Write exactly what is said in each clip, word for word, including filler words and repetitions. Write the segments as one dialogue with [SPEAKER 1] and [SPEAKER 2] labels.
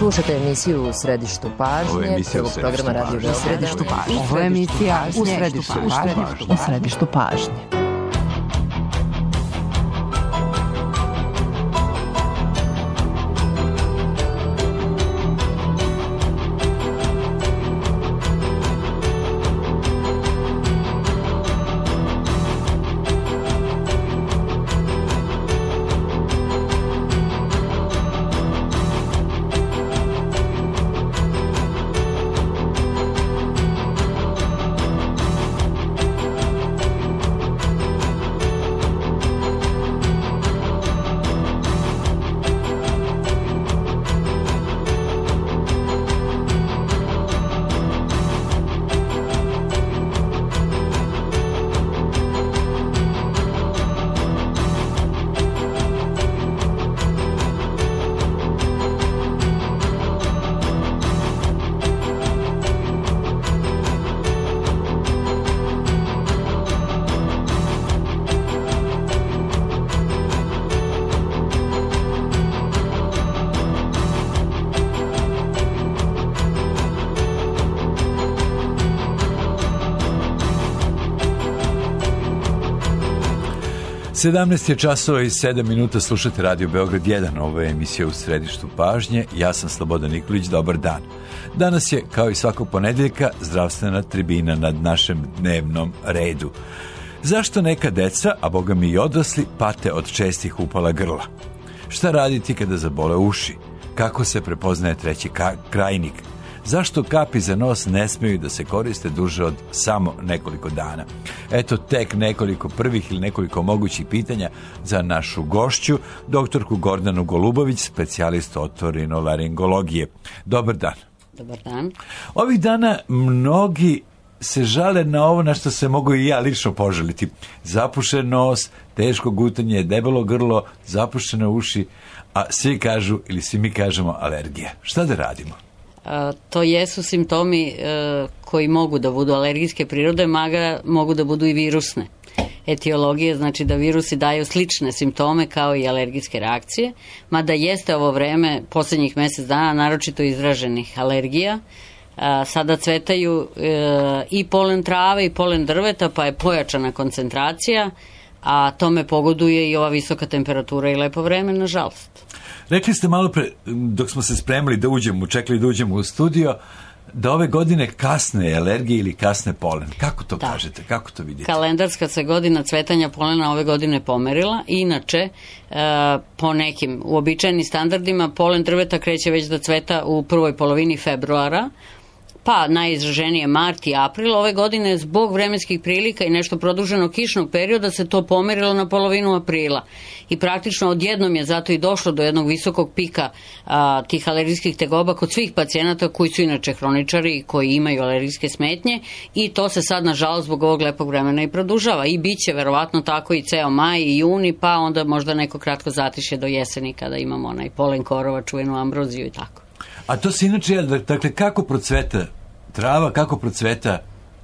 [SPEAKER 1] Slušate emisiju U središtu pažnje, prvog programa Radio Beograd.
[SPEAKER 2] U središtu pažnje. Ovo je emisija U središtu pažnje. U središtu pažnje.
[SPEAKER 3] sedamnaest je časova i sedam minuta, slušate Radio Beograd jedan, ovo je emisija U središtu pažnje, ja sam Slobodan Nikolić, dobar dan. Danas je, kao i svakog ponedeljka, zdravstvena tribina nad našem dnevnom redu. Zašto neka deca, a boga mi i odrasli, pate od čestih upala grla? Šta raditi kada zabole uši? Kako se prepoznaje treći ka- krajnik? Zašto kapi za nos ne smeju da se koriste duže od samo nekoliko dana? Eto tek nekoliko prvih ili nekoliko mogućih pitanja za našu gošću, doktorku Gordanu Golubović, specijalistu otorinolaringologije. Dobar dan.
[SPEAKER 4] Dobar dan.
[SPEAKER 3] Ovih dana mnogi se žale na ovo na što se mogu i ja lično požaliti. Zapušen nos, teško gutanje, debelo grlo, zapušene uši, a svi kažu ili svi mi kažemo alergija. Šta da radimo?
[SPEAKER 4] A, to jesu simptomi e, koji mogu da budu alergijske prirode, maga mogu da budu i virusne. Etiologije znači da virusi daju slične simptome kao i alergijske reakcije, mada jeste ovo vreme posljednjih mjesec dana naročito izraženih alergija. A, sada cvetaju e, i polen trave i polen drveta, pa je pojačana koncentracija, a tome pogoduje i ova visoka temperatura i lepo vreme, nažalost.
[SPEAKER 3] Rekli ste malo pre, dok smo se spremili da uđemo, čekali da uđemo u studio, da ove godine kasne alergije ili kasne polen. Kako to da. kažete? Kako to vidite?
[SPEAKER 4] Kalendarska se godina cvetanja polena ove godine pomerila. Inače, e, po nekim uobičajenim standardima, polen drveta kreće već da cveta u prvoj polovini februara, pa najizraženije mart i april. Ove godine zbog vremenskih prilika i nešto produženog kišnog perioda se to pomerilo na polovinu aprila. I praktično odjednom je zato i došlo do jednog visokog pika a, tih alergijskih tegoba kod svih pacijenata koji su inače hroničari i koji imaju alergijske smetnje, i to se sad nažalost zbog ovog lepog vremena i produžava. I bit će verovatno tako i ceo maj i juni, pa onda možda neko kratko zatišje do jeseni kada imamo onaj polen korova, čuvenu ambroziju i tako.
[SPEAKER 3] A to se inače, dakle, kako procveta trava, kako procveta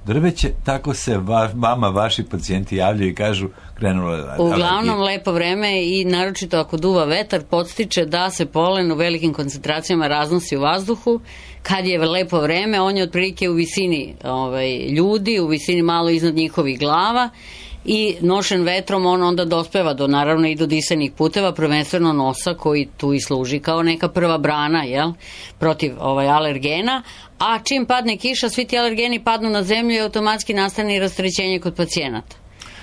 [SPEAKER 3] drveće, tako se va, vama, vaši pacijenti javljaju i kažu krenula je alergija.
[SPEAKER 4] Uglavnom lepo vreme i naročito ako duva vetar podstiče da se polen u velikim koncentracijama raznosi u vazduhu. Kad je lepo vreme, on je otprilike u visini ovaj, ljudi, u visini malo iznad njihovih glava, i nošen vetrom on onda dospeva do, naravno, i do disanih puteva, prvenstveno nosa koji tu i služi kao neka prva brana, jel, protiv ovaj, alergena, a čim padne kiša, svi ti alergeni padnu na zemlju i automatski nastane i rastrećenje kod pacijenata.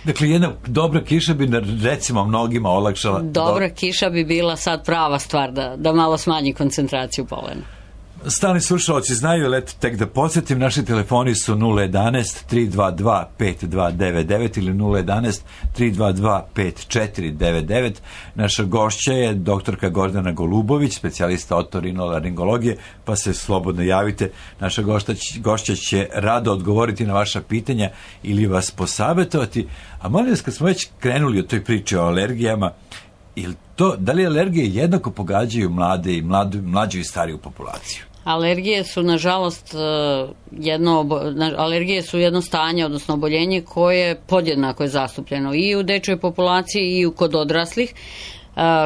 [SPEAKER 3] Dakle, jedna dobra kiša bi recimo mnogima olakšala.
[SPEAKER 4] Dobra
[SPEAKER 3] do...
[SPEAKER 4] kiša bi bila sad prava stvar da, da malo smanji koncentraciju polena.
[SPEAKER 3] Stalni slušalci znaju, ali eto tek da podsjetim, naši telefoni su nula jedanaest tri dva dva pet dva devet devet ili nula jedanaest tri dva dva pet četiri devet devet. Naša gošća je doktorka Gordana Golubović, specijalista otorinolaringologije, pa se slobodno javite. Naša gošća, gošća će rado odgovoriti na vaša pitanja ili vas posavetovati. A molim vas, kad smo već krenuli o toj priči o alergijama, ili to, da li alergije jednako pogađaju mlade i mladu, mlađu i stariju populaciju?
[SPEAKER 4] Alergije su, nažalost, jedno, alergije su jedno stanje, odnosno oboljenje koje podjednako je zastupljeno i u dečjoj populaciji i kod odraslih.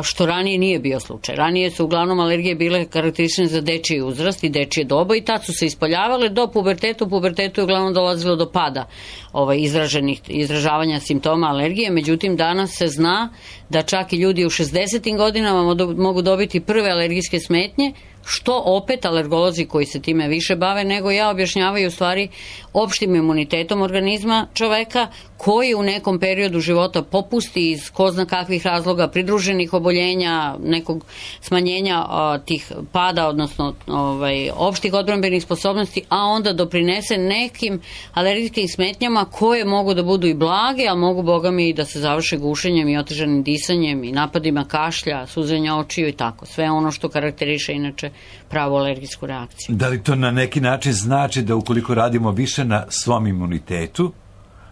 [SPEAKER 4] što ranije nije bio slučaj. Ranije su uglavnom alergije bile karakteristične za dečiji uzrast i dečije doba i tad su se ispoljavale do pubertetu. U pubertetu je uglavnom dolazilo do pada ovaj, izraženih, izražavanja simptoma alergije, međutim danas se zna da čak i ljudi u šezdesetim godinama mogu dobiti prve alergijske smetnje, što opet alergolozi koji se time više bave nego ja objašnjavaju u stvari opštim imunitetom organizma čoveka koji u nekom periodu života popusti iz ko zna kakvih razloga, pridruženih oboljenja, nekog smanjenja a, tih pada, odnosno ovaj, opštih odbrambenih sposobnosti, a onda doprinese nekim alergijskim smetnjama koje mogu da budu i blage, a mogu, boga mi, i da se završe gušenjem i otežanim disanjem i napadima kašlja, suzenja očiju i tako. Sve ono što karakteriše inače pravu alergijsku reakciju.
[SPEAKER 3] Da li to na neki način znači da ukoliko radimo više na svom imunitetu,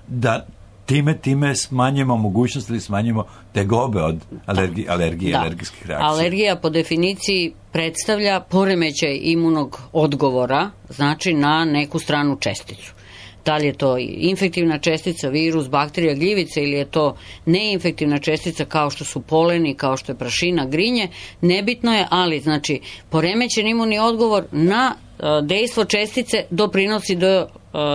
[SPEAKER 3] da time, time smanjimo mogućnost ili smanjimo tegobe od alergi, alergije,
[SPEAKER 4] da.
[SPEAKER 3] alergijskih reakcija?
[SPEAKER 4] Alergija po definiciji predstavlja poremećaj imunog odgovora, znači na neku stranu česticu. Da li je to infektivna čestica, virus, bakterija, gljivica ili je to neinfektivna čestica kao što su poleni, kao što je prašina, grinje, nebitno je, ali znači poremećen imunni odgovor na dejstvo čestice doprinosi do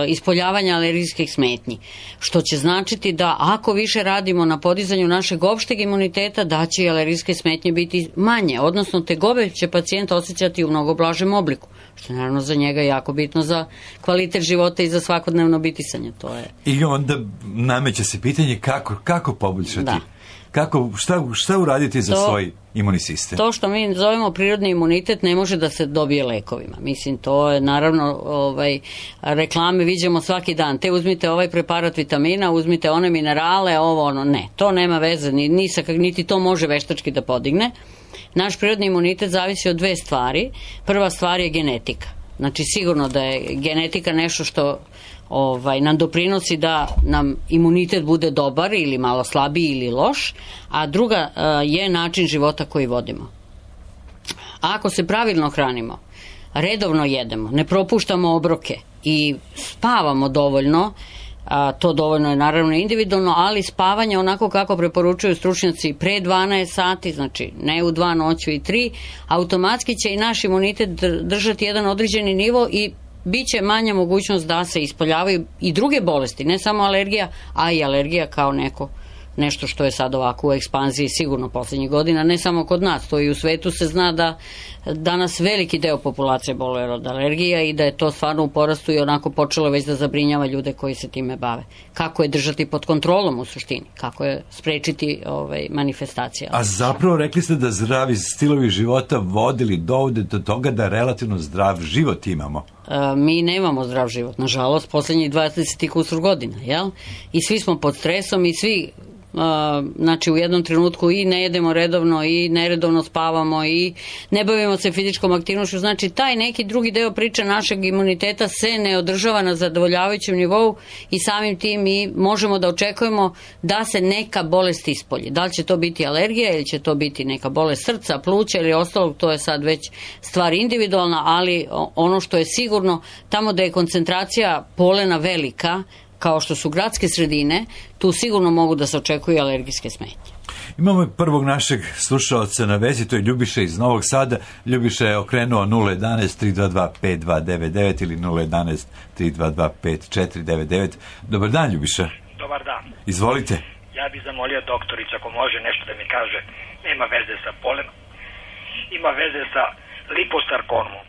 [SPEAKER 4] ispoljavanja alergijskih smetnji, što će značiti da ako više radimo na podizanju našeg opšteg imuniteta, da će i alergijske smetnje biti manje, odnosno tegobe će pacijent osjećati u mnogo blažem obliku, što je naravno za njega jako bitno za kvalitet života i za svakodnevno bitisanje. To je.
[SPEAKER 3] I onda nameće se pitanje kako, kako poboljšati,
[SPEAKER 4] da.
[SPEAKER 3] kako, šta, šta uraditi za to, svoj imunni sistem?
[SPEAKER 4] To što mi zovemo prirodni imunitet ne može da se dobije lekovima. Mislim, to je naravno ovaj, reklame viđamo svaki dan. Te uzmite ovaj preparat vitamina, uzmite one minerale, ovo ono, ne. To nema veze, ni, ni sa, niti to može veštački da podigne. Naš prirodni imunitet zavisi od dve stvari. Prva stvar je genetika. Znači sigurno da je genetika nešto što ovaj, nam doprinosi da nam imunitet bude dobar ili malo slabiji ili loš, a druga uh, je način života koji vodimo. Ako se pravilno hranimo, redovno jedemo, ne propuštamo obroke i spavamo dovoljno, a, to dovoljno je naravno individualno, ali spavanje onako kako preporučuju stručnjaci pre dvanaest sati, znači ne u dva noću i tri, automatski će i naš imunitet držati jedan određeni nivo i bit će manja mogućnost da se ispoljavaju i druge bolesti, ne samo alergija, a i alergija kao neko nešto što je sad ovako u ekspanziji sigurno poslednjih godina, ne samo kod nas, to i u svetu se zna da danas veliki deo populacije boluje od alergija i da je to stvarno u porastu i onako počelo već da zabrinjava ljude koji se time bave. Kako je držati pod kontrolom u suštini, kako je sprečiti ovaj, manifestacije.
[SPEAKER 3] A zapravo rekli ste da zdravi stilovi života vodili dovode do toga da relativno zdrav život imamo.
[SPEAKER 4] Mi nemamo zdrav život, nažalost, poslednjih dvadeset i kusur godina, jel? I svi smo pod stresom i svi Uh, znači u jednom trenutku i ne jedemo redovno i neredovno spavamo i ne bavimo se fizičkom aktivnošću, znači taj neki drugi deo priče našeg imuniteta se ne održava na zadovoljavajućem nivou i samim tim mi možemo da očekujemo da se neka bolest ispolji. Da li će to biti alergija ili će to biti neka bolest srca, pluća ili ostalog, to je sad već stvar individualna, ali ono što je sigurno, tamo da je koncentracija polena velika, kao što su gradske sredine, tu sigurno mogu da se očekuju alergijske smetnje.
[SPEAKER 3] Imamo prvog našeg slušalca na vezi, to je Ljubiša iz Novog Sada. Ljubiša je okrenuo nula jedanaest tri dva dva pet dva devet devet ili nula jedanaest tri dva dva pet četiri devet devet. Dobar dan, Ljubiša.
[SPEAKER 5] Dobar dan.
[SPEAKER 3] Izvolite.
[SPEAKER 5] Ja bih zamolio doktoricu ako može nešto da mi kaže. Nema veze sa polenom. Ima veze sa liposarkomom.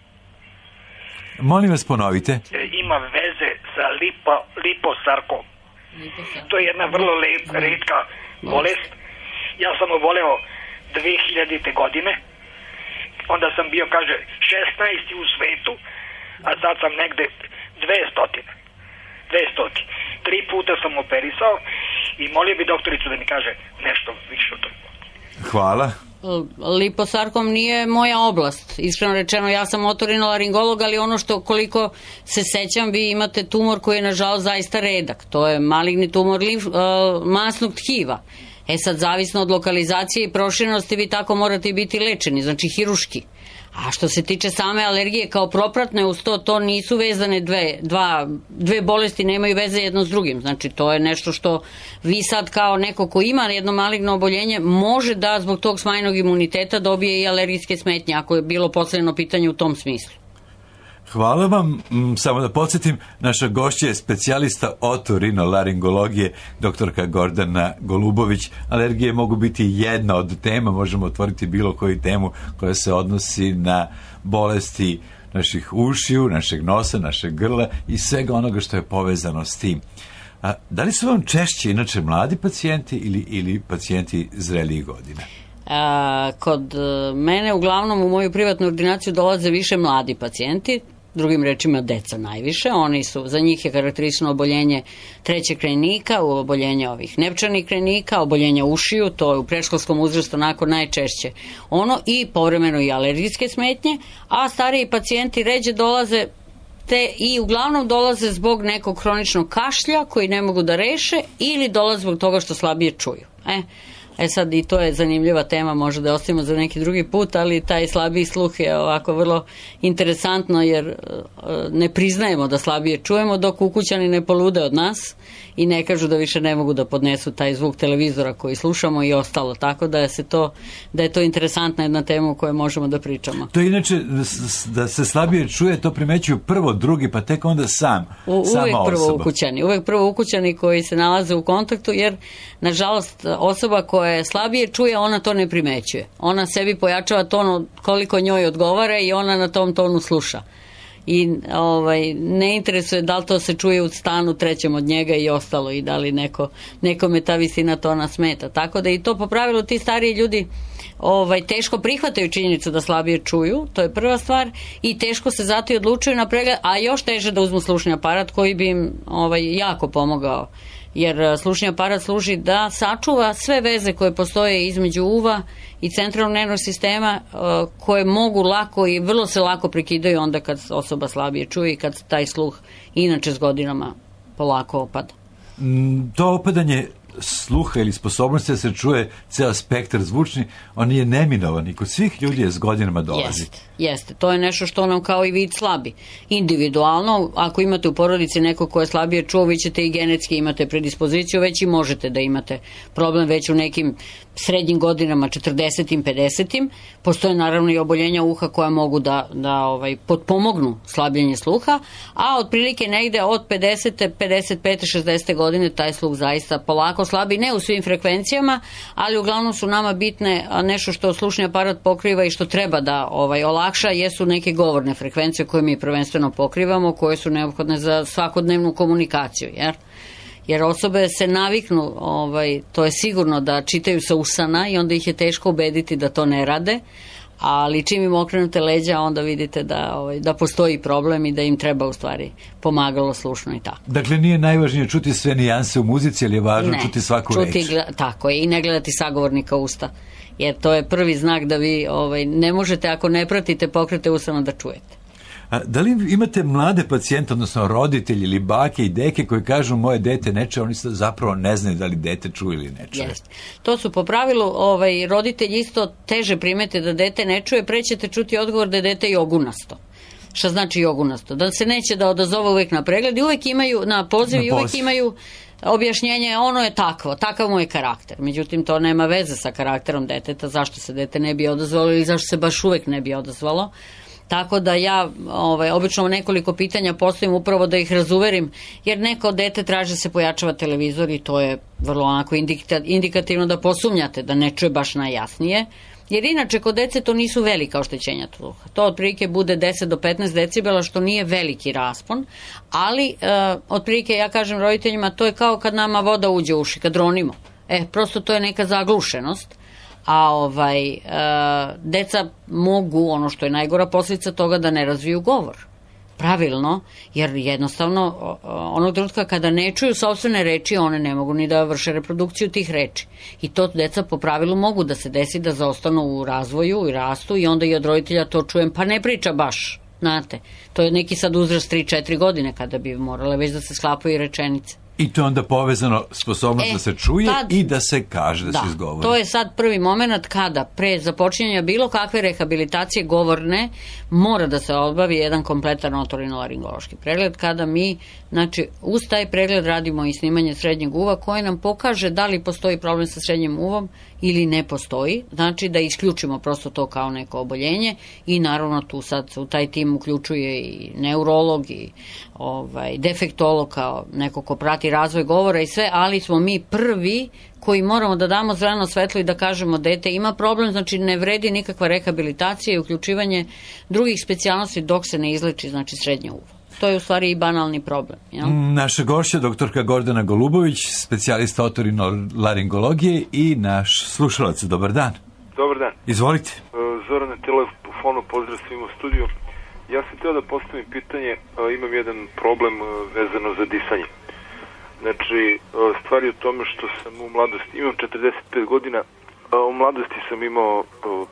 [SPEAKER 3] Molim vas, ponovite.
[SPEAKER 5] Ima veze sa lipo, liposarkom. To je jedna vrlo lep, retka bolest. Ja sam oboleo dve hiljadite godine. Onda sam bio, kaže, šesnaesti u svetu, a sad sam negde dvesta. dvesta. Tri puta sam operisao i molio bi doktoricu da mi kaže nešto više o toj.
[SPEAKER 3] Hvala.
[SPEAKER 4] Liposarkom nije moja oblast. Iskreno rečeno, ja sam otorinolaringolog, ali ono što koliko se sećam, vi imate tumor koji je nažalost zaista redak. To je maligni tumor limf, uh, masnog tkiva. E sad, zavisno od lokalizacije i proširenosti, vi tako morate biti lečeni, znači hiruški. A što se tiče same alergije kao propratne uz to, to nisu vezane dve, dva, dve bolesti, nemaju veze jedno s drugim. Znači, to je nešto što vi sad kao neko ko ima jedno maligno oboljenje može da zbog tog smanjenog imuniteta dobije i alergijske smetnje, ako je bilo postavljeno pitanje u tom smislu.
[SPEAKER 3] Hvala vam. Samo da podsjetim, naša gošća je specijalista otorinolaringologije, doktorka Gordana Golubović. Alergije mogu biti jedna od tema, možemo otvoriti bilo koju temu koja se odnosi na bolesti naših ušiju, našeg nosa, našeg grla i svega onoga što je povezano s tim. A, da li su vam češće inače mladi pacijenti ili, ili pacijenti zrelijih godina?
[SPEAKER 4] A, kod mene uglavnom u moju privatnu ordinaciju dolaze više mladi pacijenti, drugim rečima deca najviše. Oni su, za njih je karakteristično oboljenje trećeg krajnika, oboljenje ovih nepčanih krajnika, oboljenje ušiju, to je u predškolskom uzrastu onako najčešće ono, i povremeno i alergijske smetnje, a stariji pacijenti ređe dolaze te i uglavnom dolaze zbog nekog hroničnog kašlja koji ne mogu da reše ili dolaze zbog toga što slabije čuju. E, E sad i to je zanimljiva tema, možda da ostavimo za neki drugi put, ali taj slabiji sluh je ovako vrlo interesantno jer ne priznajemo da slabije čujemo dok ukućani ne polude od nas i ne kažu da više ne mogu da podnesu taj zvuk televizora koji slušamo i ostalo, tako da je, se to, da je to interesantna jedna tema o kojoj možemo da pričamo.
[SPEAKER 3] To inače, da se slabije čuje, to primećuju prvo, drugi, pa tek onda sam,
[SPEAKER 4] U,
[SPEAKER 3] sama
[SPEAKER 4] uvek prvo
[SPEAKER 3] osoba.
[SPEAKER 4] ukućani, uvek prvo ukućani koji se nalaze u kontaktu, jer nažalost osoba koja je slabije čuje, ona to ne primećuje. Ona sebi pojačava ton koliko njoj odgovara i ona na tom tonu sluša. I ovaj, ne interesuje da li to se čuje u stanu trećem od njega i ostalo i da li neko, nekome ta visina tona smeta. Tako da i to po pravilu ti stariji ljudi ovaj, teško prihvataju činjenicu da slabije čuju, to je prva stvar, i teško se zato i odlučuju na pregled, a još teže da uzmu slušni aparat koji bi im ovaj, jako pomogao. Jer slušni aparat služi da sačuva sve veze koje postoje između uva i centralnog nervnog sistema, koje mogu lako i vrlo se lako prekidaju onda kad osoba slabije čuje i kad taj sluh inače s godinama polako opada.
[SPEAKER 3] To opadanje sluha ili sposobnosti da se čuje ceo spektar zvučni, on je neminovan i kod svih ljudi je s godinama dolazi.
[SPEAKER 4] Jeste, jeste. To je nešto što nam kao i vid slabi. Individualno, ako imate u porodici neko ko je slabije čuo, vi ćete i genetski imate predispoziciju, već i možete da imate problem već u nekim srednjim godinama, četrdesetim, pedesetim. Postoje naravno i oboljenja uha koja mogu da, da ovaj, potpomognu slabljenje sluha, a otprilike negde od pedesete, pedeset pete, šezdesete godine taj sluh zaista polako slabi, ne u svim frekvencijama, ali uglavnom su nama bitne nešto što slušni aparat pokriva i što treba da ovaj, olakša, jesu neke govorne frekvencije koje mi prvenstveno pokrivamo, koje su neophodne za svakodnevnu komunikaciju, jer jer osobe se naviknu, ovaj, to je sigurno da čitaju sa usana i onda ih je teško ubediti da to ne rade, ali čim im okrenute leđa onda vidite da, ovaj, da postoji problem i da im treba u stvari pomagalo slušno i tako.
[SPEAKER 3] Dakle, nije najvažnije čuti sve nijanse u muzici, ali je važno
[SPEAKER 4] ne,
[SPEAKER 3] čuti svaku
[SPEAKER 4] čuti,
[SPEAKER 3] reč.
[SPEAKER 4] Tako je, i ne gledati sagovornika usta, jer to je prvi znak da vi ovaj, ne možete, ako ne pratite pokrete usana, da čujete.
[SPEAKER 3] A da li imate mlade pacijente, odnosno roditelji ili bake i deke koji kažu moje dete ne čuje, oni zapravo ne znaju da li dete čuje ili ne čuje?
[SPEAKER 4] Jeste. To su po pravilu ovaj, roditelji isto teže primete da dete ne čuje, pre ćete čuti odgovor da je dete jogunasto. Šta znači jogunasto? Da se neće da odazove uvek na pregled i uvek imaju, na poziv i uvek imaju objašnjenje, ono je takvo, takav mu je karakter. Međutim, to nema veze sa karakterom deteta, zašto se dete ne bi odazvalo ili zašto se baš uvek ne bi odazvalo. Tako da ja ovaj, obično nekoliko pitanja postavim upravo da ih razuverim, jer neko dete traži da se pojačava televizor i to je vrlo onako indikativno da posumnjate, da ne čuje baš najjasnije, jer inače kod dece to nisu velika oštećenja sluha. To otprilike bude deset do petnaest decibela, što nije veliki raspon, ali e, otprilike ja kažem roditeljima, to je kao kad nama voda uđe u uši, kad ronimo. E, prosto to je neka zaglušenost. A ovaj, e, deca mogu, ono što je najgora posljedica toga, da ne razviju govor. Pravilno, jer jednostavno onog trenutka kada ne čuju sopstvene reči, one ne mogu ni da vrše reprodukciju tih reči. I to deca po pravilu mogu da se desi da zaostanu u razvoju i rastu i onda i od roditelja to čujem, pa ne priča baš, znate. To je neki sad uzrast tri četiri godine kada bi morale već da se sklapaju rečenice.
[SPEAKER 3] I to je onda povezano sposobnost
[SPEAKER 4] e,
[SPEAKER 3] da se čuje tad, i da se kaže, da, da se izgovori.
[SPEAKER 4] To je sad prvi moment kada pre započinjanja bilo kakve rehabilitacije govorne mora da se obavi jedan kompletan otorinolaringološki pregled, kada mi, znači, uz taj pregled radimo i snimanje srednjeg uva koje nam pokaže da li postoji problem sa srednjim uvom ili ne postoji, znači da isključimo prosto to kao neko oboljenje i naravno tu sad u taj tim uključuje i neurolog i ovaj, defektolog kao neko ko prati razvoj govora i sve, ali smo mi prvi koji moramo da damo zeleno svetlo i da kažemo dete ima problem, znači ne vredi nikakva rehabilitacija i uključivanje drugih specijalnosti dok se ne izleči, znači srednje uvo. To je u stvari i banalni problem. Jel?
[SPEAKER 3] Naša gošća, doktorka Gordana Golubović, specijalista otorinolaringologije i naš slušalac. Dobar dan.
[SPEAKER 6] Dobar dan.
[SPEAKER 3] Izvolite.
[SPEAKER 6] Zoran na telefonu, pozdrav svima u studiju. Ja sam htio da postavim pitanje, imam jedan problem vezano za disanje. Znači, stvar je u tome što sam u mladosti, imam četrdeset pet godina, u mladosti sam imao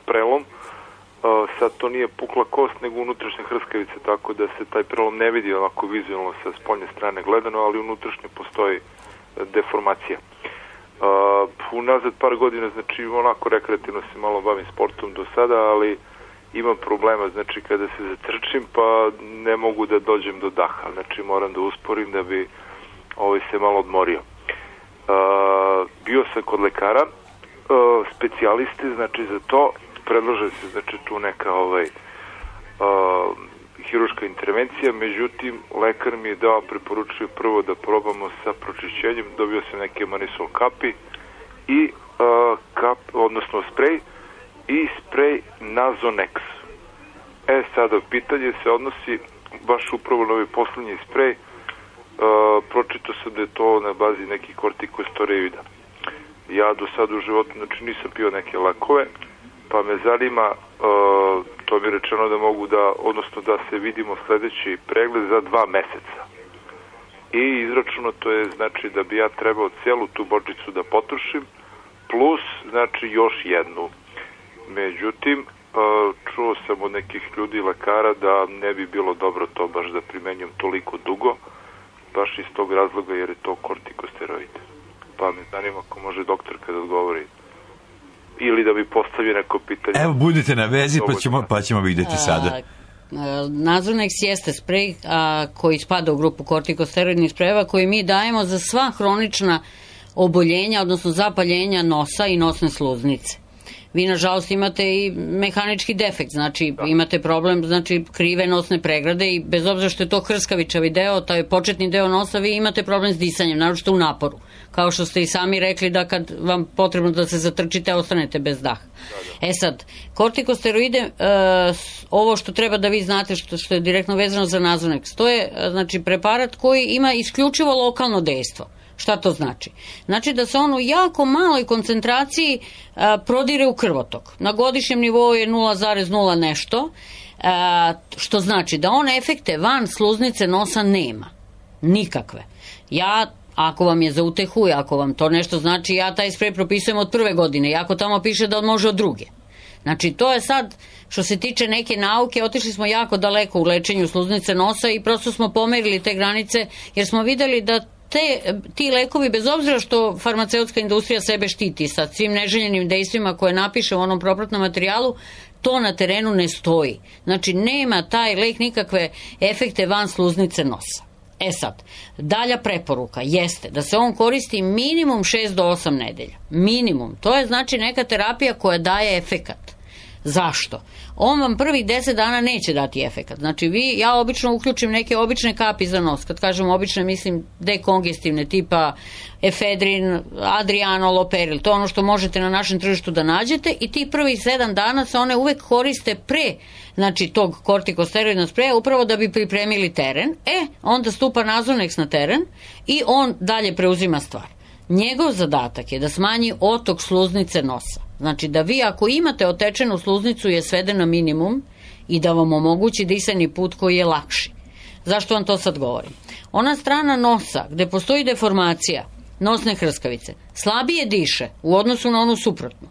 [SPEAKER 6] prelom, sad to nije pukla kost, nego unutrašnja hrskavica, tako da se taj prelom ne vidi onako vizualno sa spoljne strane gledano, ali unutrašnje postoji deformacija. Uh, unazad par godina, znači onako rekreativno se malo bavim sportom do sada, ali imam problema, znači kada se zatrčim pa ne mogu da dođem do daha, znači moram da usporim da bi ovaj se malo odmorio. Uh, bio sam kod lekara, uh, specijaliste, znači za to predlaže se, znači tu neka ovaj uh, hiruška intervencija, međutim lekar mi je dao, preporučio prvo da probamo sa pročišćenjem, dobio sam neke manisol kapi i uh, kap, odnosno sprej i sprej Nasonex. E sada pitanje se odnosi baš upravo na ovaj poslednji sprej, uh, pročitao sam da je to na bazi nekih kortikosteroida. Ja do sada u životu, znači nisam pio neke lekove, pa me zanima, uh, to mi je rečeno da mogu da, odnosno da se vidimo sledeći pregled za dva meseca. I izračunato je, znači, da bi ja trebao celu tu bočicu da potrošim, plus, znači, još jednu. Međutim, uh, čuo sam od nekih ljudi, lekara, da ne bi bilo dobro to baš da primenjam toliko dugo, baš iz tog razloga jer je to kortikosteroid. Pa me zanima ako može doktorka da odgovori. Ili da bi postavio neko pitanje.
[SPEAKER 3] Evo, budite na vezi pa ćemo, pa ćemo vidjeti sada.
[SPEAKER 4] Nasonex jeste sprej a, koji spada u grupu kortikosteroidnih sprejeva koji mi dajemo za sva hronična oboljenja, odnosno zapaljenja nosa i nosne sluznice. Vi, nažalost, imate i mehanički defekt, znači da. Imate problem, znači krive nosne pregrade i bez obzira što je to hrskavičavi deo, taj početni deo nosa, vi imate problem s disanjem, naročito u naporu. Kao što ste i sami rekli da kad vam potrebno da se zatrčite, ostanete bez daha. Da, da. E sad, kortikosteroide, uh, ovo što treba da vi znate, što, što je direktno vezano za Nasonex, to je znači preparat koji ima isključivo lokalno dejstvo. Šta to znači? Znači da se on u jako maloj koncentraciji a, prodire u krvotok. Na godišnjem nivou je nula zarez nula nešto, a, što znači da on efekte van sluznice nosa nema. Nikakve. Ja, ako vam je za utehu, ako vam to nešto znači, ja taj sprej propisujem od prve godine, iako tamo piše da on može od druge. Znači, to je sad, što se tiče neke nauke, otišli smo jako daleko u lečenju sluznice nosa i prosto smo pomerili te granice, jer smo videli da Te, ti lekovi, bez obzira što farmaceutska industrija sebe štiti sa svim neželjenim dejstvima koje napiše u onom propratnom materijalu, to na terenu ne stoji. Znači, nema taj lek nikakve efekte van sluznice nosa. E sad, dalja preporuka jeste da se on koristi minimum šest do osam nedelja. Minimum. To je znači neka terapija koja daje efekat. Zašto? On vam prvih deset dana neće dati efekat. Znači, vi, ja obično uključim neke obične kapi za nos. Kad kažem obične, mislim dekongestivne, tipa efedrin, adriano, loperil. To je ono što možete na našem tržištu da nađete i ti prvih sedam dana se one uvek koriste pre, znači, tog kortikosteroidnog spreja, upravo da bi pripremili teren. E, onda stupa Nasonex na teren i on dalje preuzima stvar. Njegov zadatak je da smanji otok sluznice nosa. Znači da vi ako imate otečenu sluznicu je svede na minimum i da vam omogući disajni put koji je lakši. Zašto vam to sad govorim? Ona strana nosa gde postoji deformacija nosne hrskavice slabije diše u odnosu na onu suprotnu.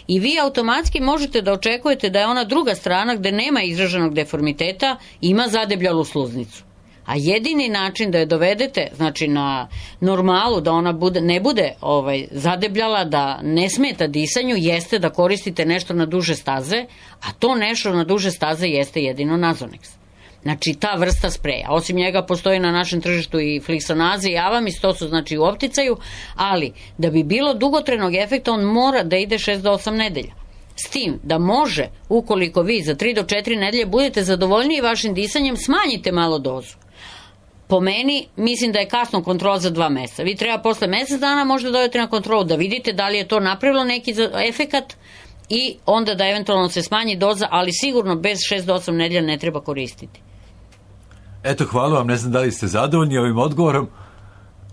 [SPEAKER 4] I vi automatski možete da očekujete da je ona druga strana gde nema izraženog deformiteta ima zadebljalu sluznicu. A jedini način da je dovedete, znači na normalu, da ona bude, ne bude ovaj, zadebljala, da ne smeta disanju, jeste da koristite nešto na duže staze, a to nešto na duže staze jeste jedino Nasonex. Znači ta vrsta spreja. Osim njega postoji na našem tržištu i Flixonaze i Avamis, to su znači u opticaju, ali da bi bilo dugotrenog efekta on mora da ide šest do osam nedelja. S tim da može, ukoliko vi za tri do četiri nedelje budete zadovoljniji vašim disanjem, smanjite malo dozu. Po meni, mislim da je kasno kontrola za dva meseca. Vi treba posle mesec dana možda dojete na kontrolu da vidite da li je to napravilo neki efekat i onda da eventualno se smanji doza, ali sigurno bez šest do osam nedelja ne treba koristiti.
[SPEAKER 3] Eto, hvala vam, ne znam da li ste zadovoljni ovim odgovorom,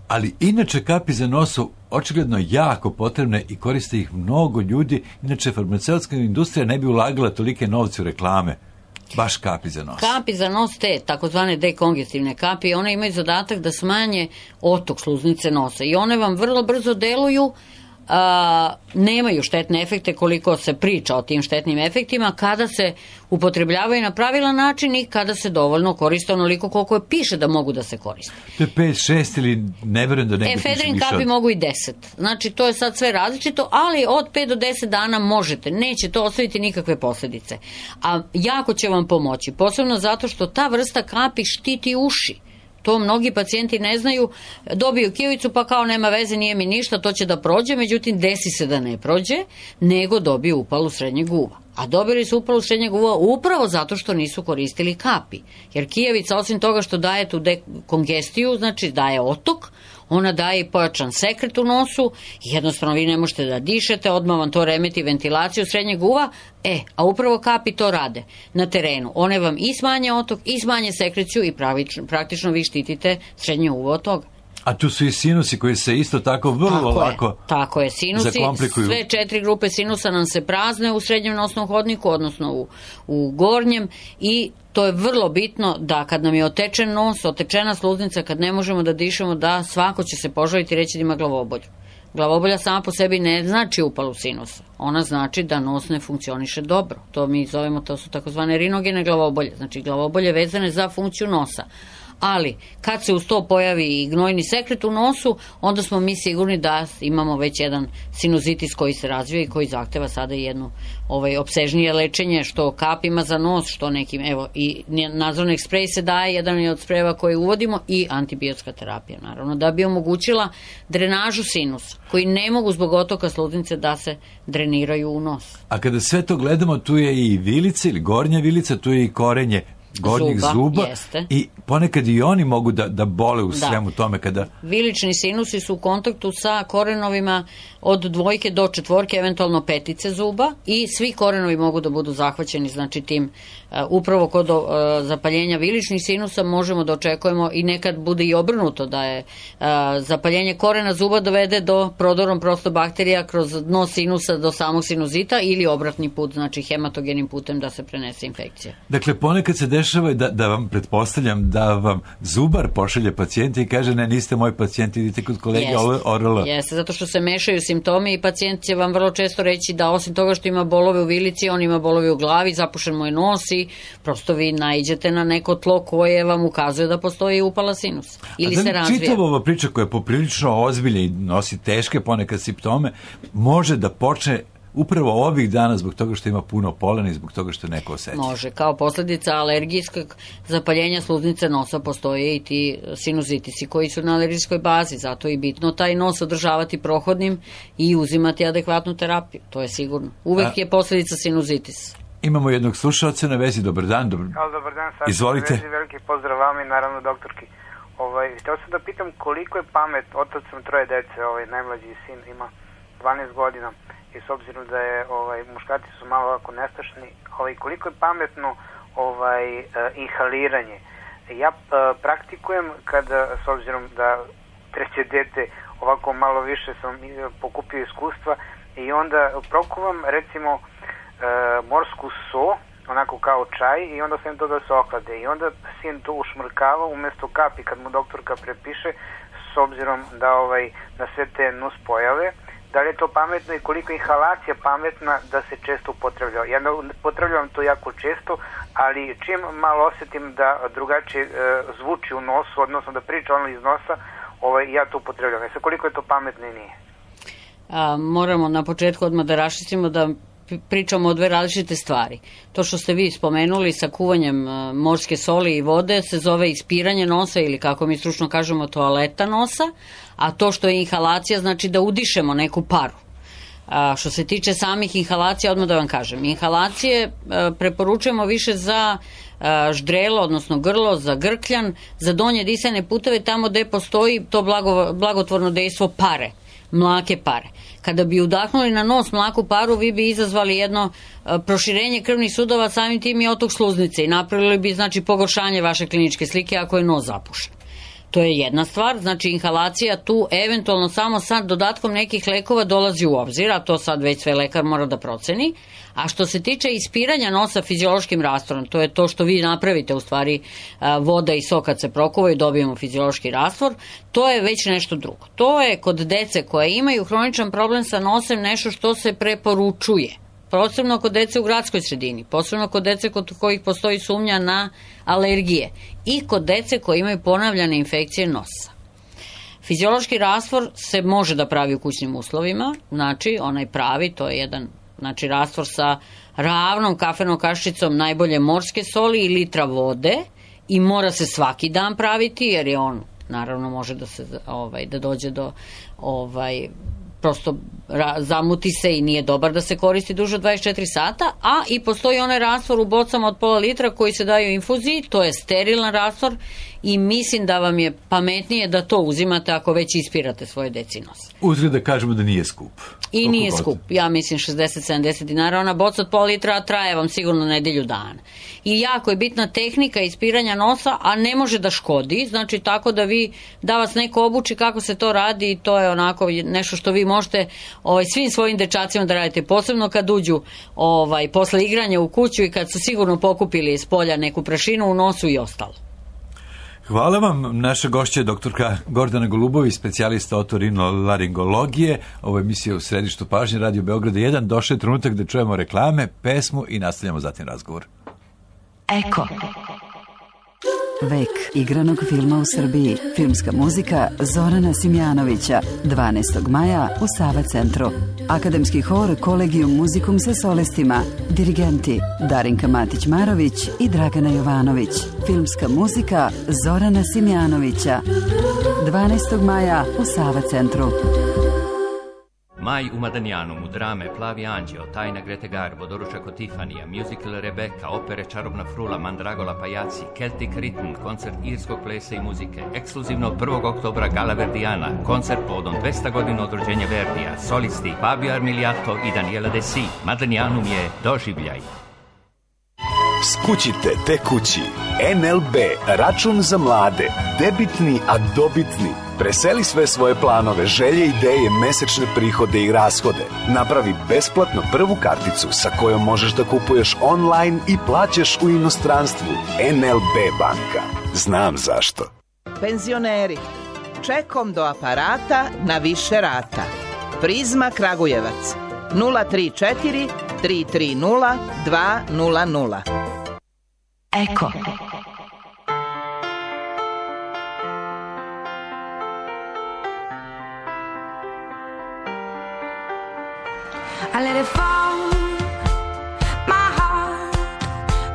[SPEAKER 3] ali inače kapi za nos su očigledno jako potrebne i koriste ih mnogo ljudi, inače farmaceutska industrija ne bi ulagala tolike novce u reklame. Baš kapi za nos. Kapi
[SPEAKER 4] za nos, te takozvane dekongestivne kapi, one imaju zadatak da smanje otok sluznice nosa i one vam vrlo brzo deluju, a, nemaju štetne efekte koliko se priča o tim štetnim efektima kada se upotrebljavaju na pravilan način i kada se dovoljno koriste onoliko koliko je piše da mogu da se koriste.
[SPEAKER 3] To je pet šest ili ne verujem da negdje piše više.
[SPEAKER 4] Efedrin kapi mogu i deset. Znači to je sad sve različito, ali od pet do deset dana možete. Neće to ostaviti nikakve posljedice. A jako će vam pomoći. Posebno zato što ta vrsta kapi štiti uši. To mnogi pacijenti ne znaju, dobiju kijovicu pa kao nema veze, nije mi ništa, to će da prođe, međutim desi se da ne prođe, nego dobiju upalu srednjeg uva. A dobili su upalu srednjeg uva upravo zato što nisu koristili kapi. Jer kijevica, osim toga što daje tu dekongestiju, znači daje otok, ona daje i pojačan sekret u nosu, jednostavno vi ne možete da dišete, odmah vam to remeti ventilaciju srednjeg uva, e, a upravo kapi to rade na terenu. One vam i smanje otok, i smanje sekreciju i pravično, praktično vi štitite srednje uvo od toga.
[SPEAKER 3] A tu su i sinusi koji se isto tako vrlo tako lako
[SPEAKER 4] je, tako je, sinusi,
[SPEAKER 3] zakomplikuju.
[SPEAKER 4] Sve četiri grupe sinusa nam se prazne u srednjem nosnom hodniku, odnosno u, u gornjem i to je vrlo bitno da kad nam je otečen nos, otečena sluznica, kad ne možemo da dišemo, da svako će se požaliti i reći da ima glavobolju. Glavobolja sama po sebi ne znači upalu sinusa. Ona znači da nos ne funkcioniše dobro. To mi zovemo, to su takozvane rinogene glavobolje. Znači glavobolje vezane za funkciju nosa. Ali kad se uz to pojavi i gnojni sekret u nosu, onda smo mi sigurni da imamo već jedan sinuzitis koji se razvija i koji zahteva sada jedno ovaj, opsežnije lečenje, što kapima za nos, što nekim, evo, i Nasonex sprej se daje, jedan je od sprejeva koje uvodimo, i antibiotska terapija, naravno, da bi omogućila drenažu sinusa, koji ne mogu zbog otoka sluznice da se dreniraju u nos.
[SPEAKER 3] A kada sve to gledamo, tu je i vilica ili gornja vilica, tu je i korenje gornjih zuba, zuba i ponekad i oni mogu da, da bole u da. svemu tome kada...
[SPEAKER 4] Vilični sinusi su u kontaktu sa korenovima od dvojke do četvorke, eventualno petice zuba, i svi korenovi mogu da budu zahvaćeni, znači tim uh, upravo kod uh, zapaljenja viličnih sinusa možemo da očekujemo, i nekad bude i obrnuto, da je uh, zapaljenje korena zuba dovede do prodorom prostobakterija kroz dno sinusa do samog sinuzita, ili obratni put, znači hematogenim putem da se prenese infekcija.
[SPEAKER 3] Dakle, ponekad se dešava da, da vam, pretpostavljam, da vam zubar pošalje pacijente i kaže ne, niste moj pacijent, idite kod kolege orala.
[SPEAKER 4] Jeste, zato što se mešaju simptomi i pacijent će vam vrlo često reći da osim toga što ima bolove u vilici, on ima bolove u glavi, zapušen mu je nos i prosto vi naiđete na neko tlo koje vam ukazuje da postoji upala sinusa ili se razvija.
[SPEAKER 3] Čitava ova priča koja je poprilično ozbiljna i nosi teške ponekad simptome, može da počne upravo ovih dana zbog toga što ima puno polena i zbog toga što neko osjeća.
[SPEAKER 4] Može, kao posljedica alergijskog zapaljenja sluznice nosa postoje i ti sinuzitisi koji su na alergijskoj bazi, zato je bitno taj nos održavati prohodnim i uzimati adekvatnu terapiju, to je sigurno. Uvek A, je posljedica sinuzitisa.
[SPEAKER 3] Imamo jednog slušalca na vezi, dobar dan. Dobar,
[SPEAKER 7] Halo, dobar dan, sad
[SPEAKER 3] izvolite.
[SPEAKER 7] Vezi, veliki pozdrav vama i naravno doktorki. Ovaj, htio sam da pitam koliko je pamet, otac sam troje dece, ovaj, najmlađi sin ima dvanaest godina, i s obzirom da je ovaj muškarci su malo ovako nestašni, ovaj koliko je pametno ovaj uh, inhaliranje. Ja uh, praktikujem kada, s obzirom da treće dete ovako malo više sam pokupio iskustva, i onda prokuvam recimo uh, morsku so, onako kao čaj, i onda sam to da se ohlade, i onda sin to ušmrkava umjesto kapi kad mu doktorka prepiše, s obzirom da ovaj na sve te nus pojave da li je to pametno i koliko je inhalacija pametna da se često upotrebljava. Ja upotrebljavam to jako često, ali čim malo osjetim da drugačije e, zvuči u nosu, odnosno da priča ono iz nosa, ovaj, ja to upotrebljam. E sad, koliko je to pametno i nije?
[SPEAKER 4] A, moramo na početku odmah da raščistimo da pričamo o dve različite stvari. To što ste vi spomenuli sa kuvanjem morske soli i vode se zove ispiranje nosa ili kako mi stručno kažemo toaleta nosa, a to što je inhalacija znači da udišemo neku paru. A, što se tiče samih inhalacija, odmah da vam kažem, inhalacije a, preporučujemo više za a, ždrelo, odnosno grlo, za grkljan, za donje disajne puteve, tamo gde postoji to blago, blagotvorno dejstvo pare, mlake pare. Kada bi udahnuli na nos mlaku paru, vi bi izazvali jedno a, proširenje krvnih sudova, samim tim i otok sluznice i napravili bi znači pogoršanje vaše kliničke slike ako je nos zapušen. To je jedna stvar, znači inhalacija tu eventualno samo sa dodatkom nekih lekova dolazi u obzir, a to sad već sve lekar mora da proceni. A što se tiče ispiranja nosa fiziološkim rastvorom, to je to što vi napravite u stvari, voda i sok kad se prokuvaju dobijemo fiziološki rastvor, to je već nešto drugo. To je kod dece koje imaju hroničan problem sa nosem nešto što se preporučuje. Posebno kod dece u gradskoj sredini, posebno kod dece kod kojih postoji sumnja na alergije i kod dece koji imaju ponavljane infekcije nosa. Fiziološki rastvor se može da pravi u kućnim uslovima, znači onaj pravi, to je jedan znači, rastvor sa ravnom kafenom kaščicom najbolje morske soli i litra vode i mora se svaki dan praviti jer je on, naravno može da se ovaj, da dođe do ovaj, prosto zamuti se i nije dobar da se koristi duže od dvadeset četiri sata, a i postoji onaj rastvor u bocama od pola litra koji se daju u infuziji, to je sterilan rastvor i mislim da vam je pametnije da to uzimate ako već ispirate svoje deci nos.
[SPEAKER 3] Uzgled da kažemo da nije skup.
[SPEAKER 4] I Koliko nije god? Skup, ja mislim šezdeset sedamdeset dinara, ona boca od pola litra traje vam sigurno nedelju dana. I jako je bitna tehnika ispiranja nosa, a ne može da škodi, znači tako da vi, da vas neko obuči kako se to radi i to je onako nešto što vi možete ovaj, svim svojim dečacima da radite, posebno kad uđu ovaj, posle igranja u kuću i kad su sigurno pokupili iz polja neku prašinu u nosu i ostalo.
[SPEAKER 3] Hvala vam. Naša gošća je doktorka Gordana Golubović, specijalista otorinolaringologije. Ovo je emisija u središtu pažnje Radio Beograda jedan. Došao je trenutak da čujemo reklame, pesmu i nastavljamo zatim razgovor.
[SPEAKER 2] Eko. Vek igranog filma u Srbiji. Filmska muzika Zorana Simjanovića. dvanaestog maja u Sava centru. Akademski hor Kolegijum muzikum sa solestima. Dirigenti Darinka Matić-Marović i Dragana Jovanović. Filmska muzika Zorana Simjanovića. dvanaestog maja u Sava centru.
[SPEAKER 8] Maj u Madanjanu, mu drame Plavi anđeo, Tajna Grete Garbo, Doručak od Tifanija, musical Rebeka, opere Čarobna frula, Mandragola Pajaci, Celtic Rhythm, koncert irskog plesa i muzike, ekskluzivno prvog oktobra Gala Verdijana, koncert povodom dvesta godina od rođenja Verdija, solisti Fabio Armiliato i Daniela Desi. Madanjanum je doživljaj.
[SPEAKER 9] Skućite te kući. en el be, račun za mlade, debitni, a dobitni. Preseli sve svoje planove, želje, ideje, mesečne prihode i rashode. Napravi besplatno prvu karticu sa kojom možeš da kupuješ online i plaćaš u inostranstvu. en el be banka. Znam zašto.
[SPEAKER 10] Penzioneri, čekom do aparata na više rata. Prizma Kragujevac. nula tri četiri tri tri nula dva nula nula.
[SPEAKER 2] Eko.
[SPEAKER 11] I let it fall, my heart,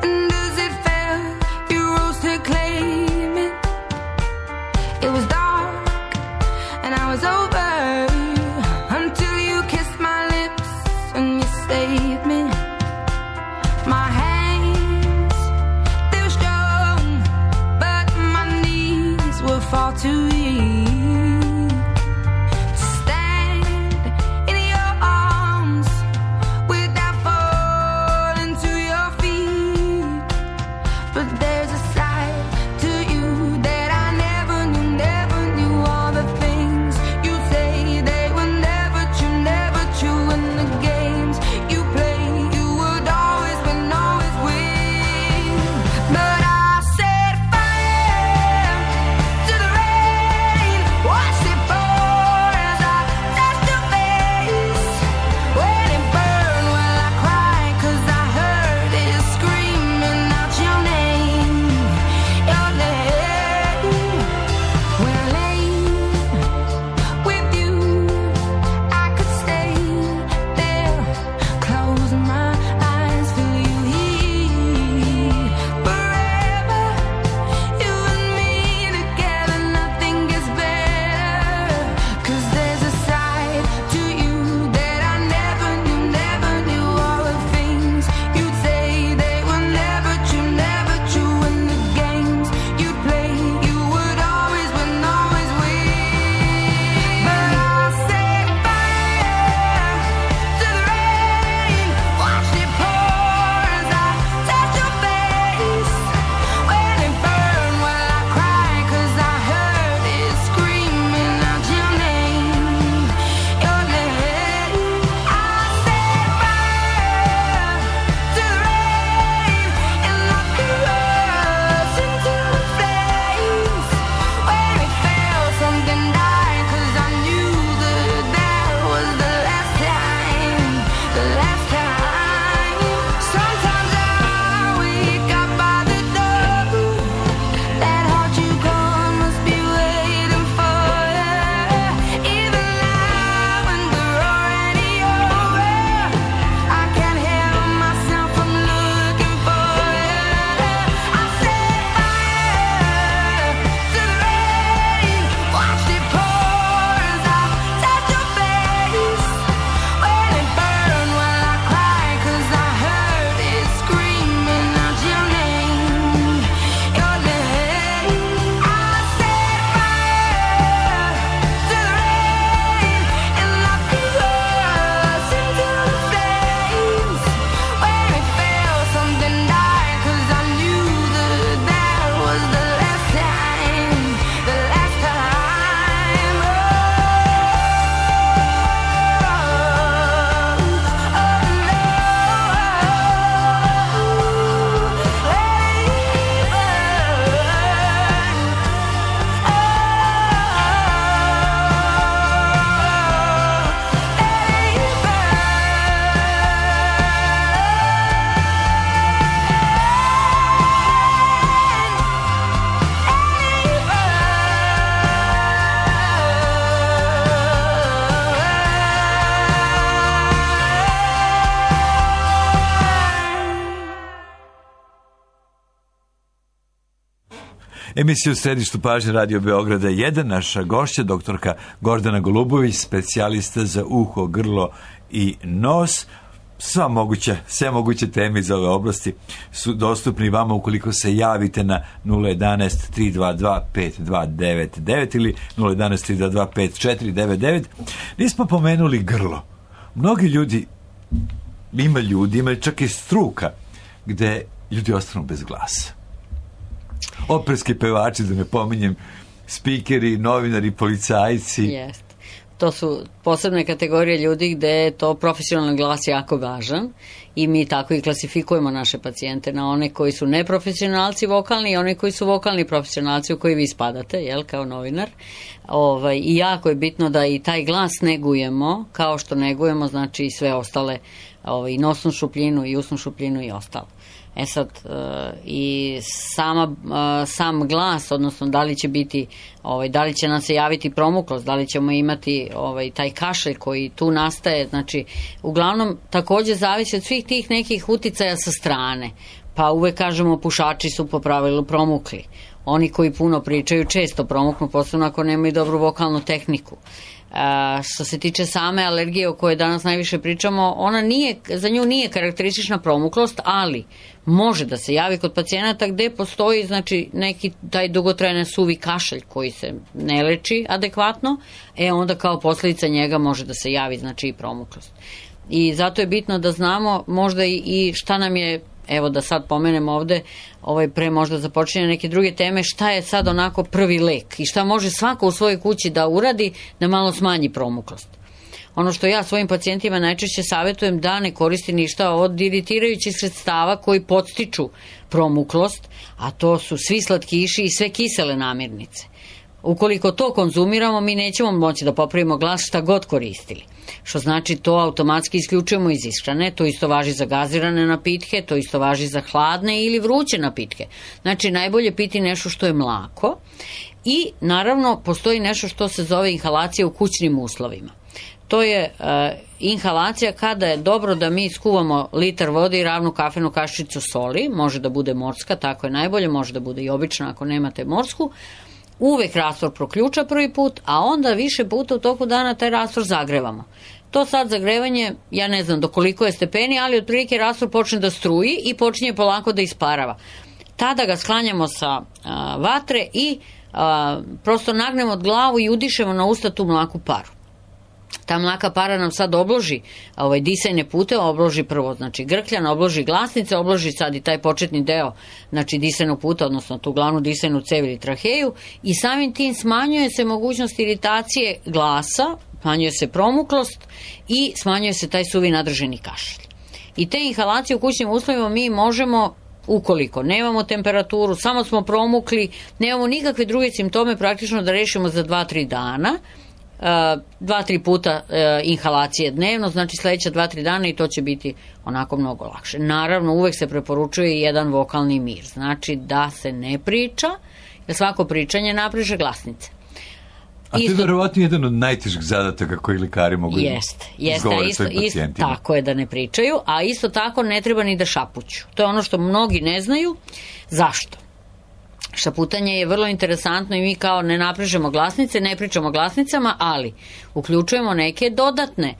[SPEAKER 11] and as it fell, you rose to claim it. It was dark, and I was over, until you kissed my lips, and you saved me. My hands, they were strong.
[SPEAKER 3] Emisija u središtu pažnje Radio Beograda jedan, naša gošća, doktorka Gordana Golubović, specijalista za uho, grlo i nos. Sva moguće, sve moguće teme iz ove oblasti su dostupni vama ukoliko se javite na nula jedanaest tri dva dva pet dva devet devet ili nula jedanaest tri dva dva pet četiri devet devet. Nismo pomenuli grlo. Mnogi ljudi, ima ljudi, ima čak i struka gde ljudi ostanu bez glasa. Operski pevači, da ne pominjem, spikeri, novinari, policajci.
[SPEAKER 4] Jeste. To su posebne kategorije ljudi gde je to profesionalni glas jako važan i mi tako i klasifikujemo naše pacijente na one koji su neprofesionalci vokalni i one koji su vokalni profesionalci u koji vi spadate, jel, kao novinar. Ovaj, I jako je bitno da i taj glas negujemo, kao što negujemo, znači i sve ostale, ovaj, i nosnu šupljinu i usnu šupljinu i ostalo. E sad, uh, i sama, uh, sam glas, odnosno da li će biti, ovaj, da li će nam se javiti promuklost, da li ćemo imati ovaj, taj kašelj koji tu nastaje, znači, uglavnom takođe zavisi od svih tih nekih uticaja sa strane, pa uvek kažemo pušači su po pravilu promukli, oni koji puno pričaju često promuknu, posebno ako nemaju dobru vokalnu tehniku. Uh, što se tiče same alergije o kojoj danas najviše pričamo, ona nije, za nju nije karakteristična promuklost, ali može da se javi kod pacijenata gde postoji, znači, neki taj dugotrajan suvi kašalj koji se ne leči adekvatno, e onda kao posledica njega može da se javi, znači, i promuklost. I zato je bitno da znamo možda i, i šta nam je, evo da sad pomenem ovde, ovaj, pre možda započinje neke druge teme, šta je sad onako prvi lek i šta može svako u svojoj kući da uradi da malo smanji promuklost. Ono što ja svojim pacijentima najčešće savjetujem da ne koristi ništa od iritirajućih sredstava koji podstiču promuklost, a to su svi slatkiši i sve kisele namirnice. Ukoliko to konzumiramo, mi nećemo moći da popravimo glas šta god koristili. Što znači to automatski isključujemo iz ishrane, to isto važi za gazirane napitke, to isto važi za hladne ili vruće napitke. Znači najbolje piti nešto što je mlako i naravno postoji nešto što se zove inhalacija u kućnim uslovima. To je uh, inhalacija kada je dobro da mi skuvamo litar vode i ravnu kafenu kašičicu soli, može da bude morska, tako je najbolje, može da bude i obična ako nemate morsku. Uvek rastvor proključa prvi put, a onda više puta u toku dana taj rastvor zagrevamo. To sad zagrevanje, ja ne znam do koliko je stepeni, ali otprilike rastvor počne da struji i počinje polako da isparava. Tada ga sklanjamo sa a, vatre i a, prosto nagnemo od glavu i udišemo na usta tu mlaku paru. Ta mlaka para nam sad obloži ovaj, disajne pute, obloži prvo, znači grkljan, obloži glasnice, obloži sad i taj početni deo, znači disajnog puta, odnosno tu glavnu disajnu cev ili traheju i samim tim smanjuje se mogućnost iritacije glasa, smanjuje se promuklost i smanjuje se taj suvi nadrženi kašalj. I te inhalacije u kućnim uslovima mi možemo, ukoliko nemamo temperaturu, samo smo promukli, nemamo nikakve druge simptome, praktično da rešimo za dva do tri dana, dva do tri puta uh, inhalacije dnevno, znači sledeća dva do tri dana i to će biti onako mnogo lakše. Naravno, uvek se preporučuje jedan vokalni mir, znači da se ne priča, jer svako pričanje napriže glasnice.
[SPEAKER 3] A to je verovatno jedan od najtežih zadataka koji lekari mogu
[SPEAKER 4] jest,
[SPEAKER 3] izgovoriti
[SPEAKER 4] isto,
[SPEAKER 3] svojim
[SPEAKER 4] isto,
[SPEAKER 3] pacijentima.
[SPEAKER 4] tako je da ne pričaju, a isto tako ne treba ni da šapuću. To je ono što mnogi ne znaju. Zašto? Šaputanje je vrlo interesantno i mi kao ne naprižemo glasnice, ne pričamo glasnicama, ali uključujemo neke dodatne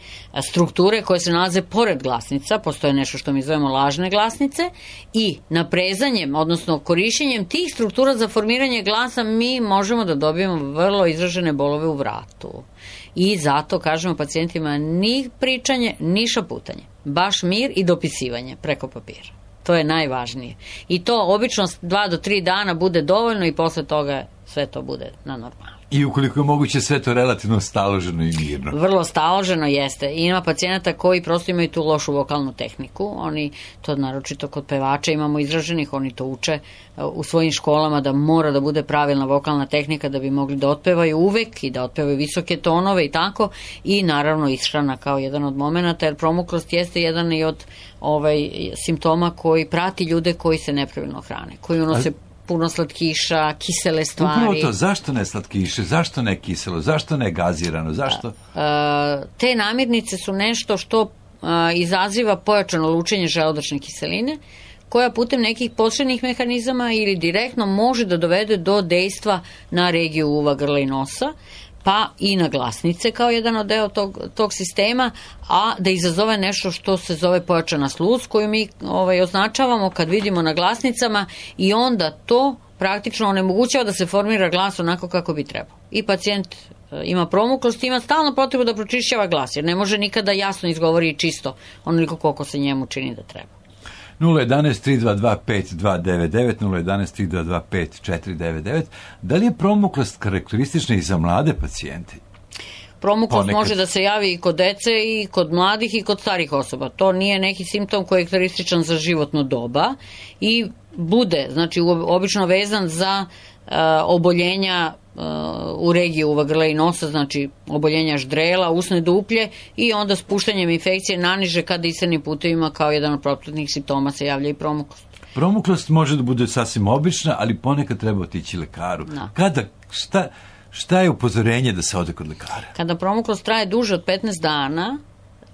[SPEAKER 4] strukture koje se nalaze pored glasnica, postoje nešto što mi zovemo lažne glasnice i naprezanjem, odnosno korišćenjem tih struktura za formiranje glasa mi možemo da dobijemo vrlo izražene bolove u vratu. I zato kažemo pacijentima ni pričanje, ni šaputanje, baš mir i dopisivanje preko papira. To je najvažnije. I to obično dva do tri dana bude dovoljno i posle toga sve to bude na normalno.
[SPEAKER 3] I ukoliko je moguće sve to relativno staloženo i mirno.
[SPEAKER 4] Vrlo staloženo jeste. I ima pacijenata koji prosto imaju tu lošu vokalnu tehniku. Oni, to naročito kod pevača imamo izraženih, oni to uče u svojim školama da mora da bude pravilna vokalna tehnika da bi mogli da otpevaju uvek i da otpevaju visoke tonove i tako. I naravno ishrana kao jedan od momenata, jer promuklost jeste jedan i od ovaj, simptoma koji prati ljude koji se nepravilno hrane, koji unose puno slatkiša, kisele stvari.
[SPEAKER 3] Upravo to, zašto ne slatkiše, zašto ne kiselo, zašto ne gazirano, zašto?
[SPEAKER 4] Te namirnice su nešto što izaziva pojačano lučenje želudačne kiseline, koja putem nekih posebnih mehanizama ili direktno može da dovede do dejstva na regiju uva, grla i nosa, pa i na glasnice kao jedan od deo tog, tog sistema, a da izazove nešto što se zove pojačana sluz, koju mi ovaj, označavamo kad vidimo na glasnicama i onda to praktično onemogućava da se formira glas onako kako bi trebao. I pacijent ima promuklost, ima stalno potrebu da pročišćava glas, jer ne može nikada jasno izgovori čisto onoliko koliko se njemu čini da treba.
[SPEAKER 3] nula jedan tri dva dva pet dva devet devet, nula jedan tri dva dva pet četiri devet devet. Da li je promuklost karakteristična i za mlade pacijente?
[SPEAKER 4] Promuklost
[SPEAKER 3] Ponekad.
[SPEAKER 4] može da se javi i kod dece i kod mladih i kod starih osoba. To nije neki simptom koji je karakterističan za životno doba i bude, znači obično vezan za uh, oboljenja uh, u regiji uva, grla i nosa, znači oboljenja ždrela, usne duplje i onda spuštanjem infekcije naniže ka disajnim putevima kao jedan od propratnih simptoma se javlja i promuklost.
[SPEAKER 3] Promuklost može da bude sasvim obična, ali ponekad treba otići lekaru.
[SPEAKER 4] Da.
[SPEAKER 3] Kada, šta, šta je upozorenje da se ode kod lekara?
[SPEAKER 4] Kada promuklost traje duže od petnaest dana,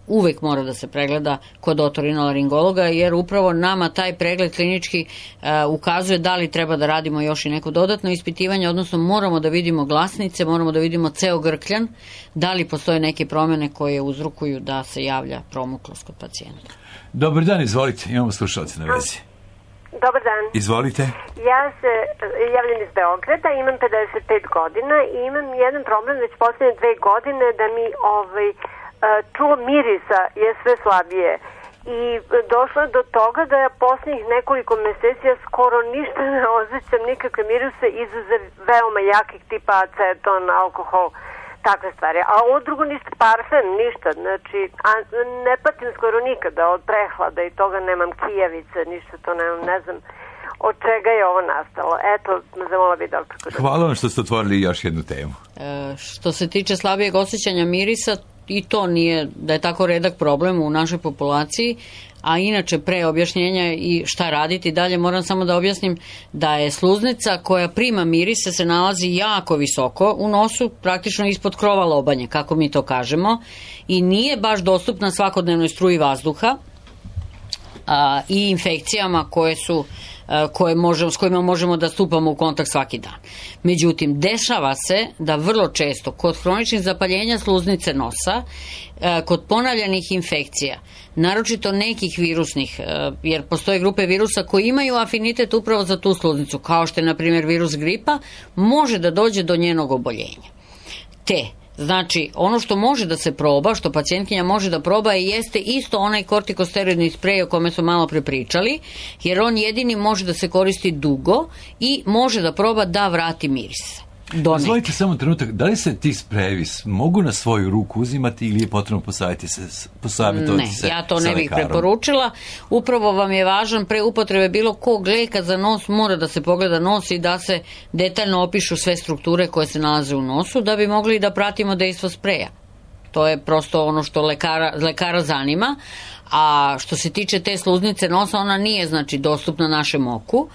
[SPEAKER 4] uvek mora da se pregleda kod otorinolaringologa, jer upravo nama taj pregled klinički uh, ukazuje da li treba da radimo još i neko dodatno ispitivanje, odnosno moramo da vidimo glasnice, moramo da vidimo ceo grkljan, da li postoje neke promene koje uzrokuju da se javlja promuklost kod pacijenta.
[SPEAKER 3] Dobar dan, izvolite, imamo slušalce na vezi.
[SPEAKER 12] Dobar dan.
[SPEAKER 3] Izvolite.
[SPEAKER 12] Ja se javljam iz Beograda, imam pedeset pet godina i imam jedan problem već poslednje dve godine da mi ovaj, čulo mirisa je sve slabije. I došlo je do toga da ja poslednjih nekoliko meseci ja skoro ništa ne osjećam, nikakve mirise izuzev veoma jakih tipa aceton, alkohol, takve stvari. A ovo drugo ništa, parfem, ništa. Znači, a ne patim skoro nikada od prehlada i toga, nemam kijavice, ništa to nemam, ne znam od čega je ovo nastalo. Eto, zamola bi doktor.
[SPEAKER 3] Hvala vam što ste otvorili još jednu temu.
[SPEAKER 4] E, što se tiče slabijeg osjećanja mirisa, i to nije da je tako redak problem u našoj populaciji, a inače pre objašnjenja i šta raditi dalje moram samo da objasnim da je sluznica koja prima mirise se nalazi jako visoko u nosu, praktično ispod krova lobanje, kako mi to kažemo, i nije baš dostupna svakodnevnoj struji vazduha a, i infekcijama koje su koje možemo, s kojima možemo da stupamo u kontakt svaki dan. Međutim, dešava se da vrlo često kod hroničnih zapaljenja sluznice nosa, kod ponavljanih infekcija, naročito nekih virusnih, jer postoje grupe virusa koji imaju afinitet upravo za tu sluznicu, kao što je, na primjer, virus gripa, može da dođe do njenog oboljenja. Te Znači, ono što može da se proba, što pacijentkinja može da proba, jeste isto onaj kortikosteroidni sprej o kome smo malo prepričali, jer on jedini može da se koristi dugo i može da proba da vrati miris.
[SPEAKER 3] Dozvolite samo trenutak, da li se ti sprejevi mogu na svoju ruku uzimati ili je potrebno posavjetovati se, posavjetovati se
[SPEAKER 4] Ne, ja to ne bih preporučila. Upravo vam je važan pre upotrebe bilo kog leka za nos, mora da se pogleda nos i da se detaljno opišu sve strukture koje se nalaze u nosu, da bi mogli da pratimo dejstvo spreja. To je prosto ono što lekara, lekara zanima. A što se tiče te sluznice nosa, ona nije znači dostupna našem oku.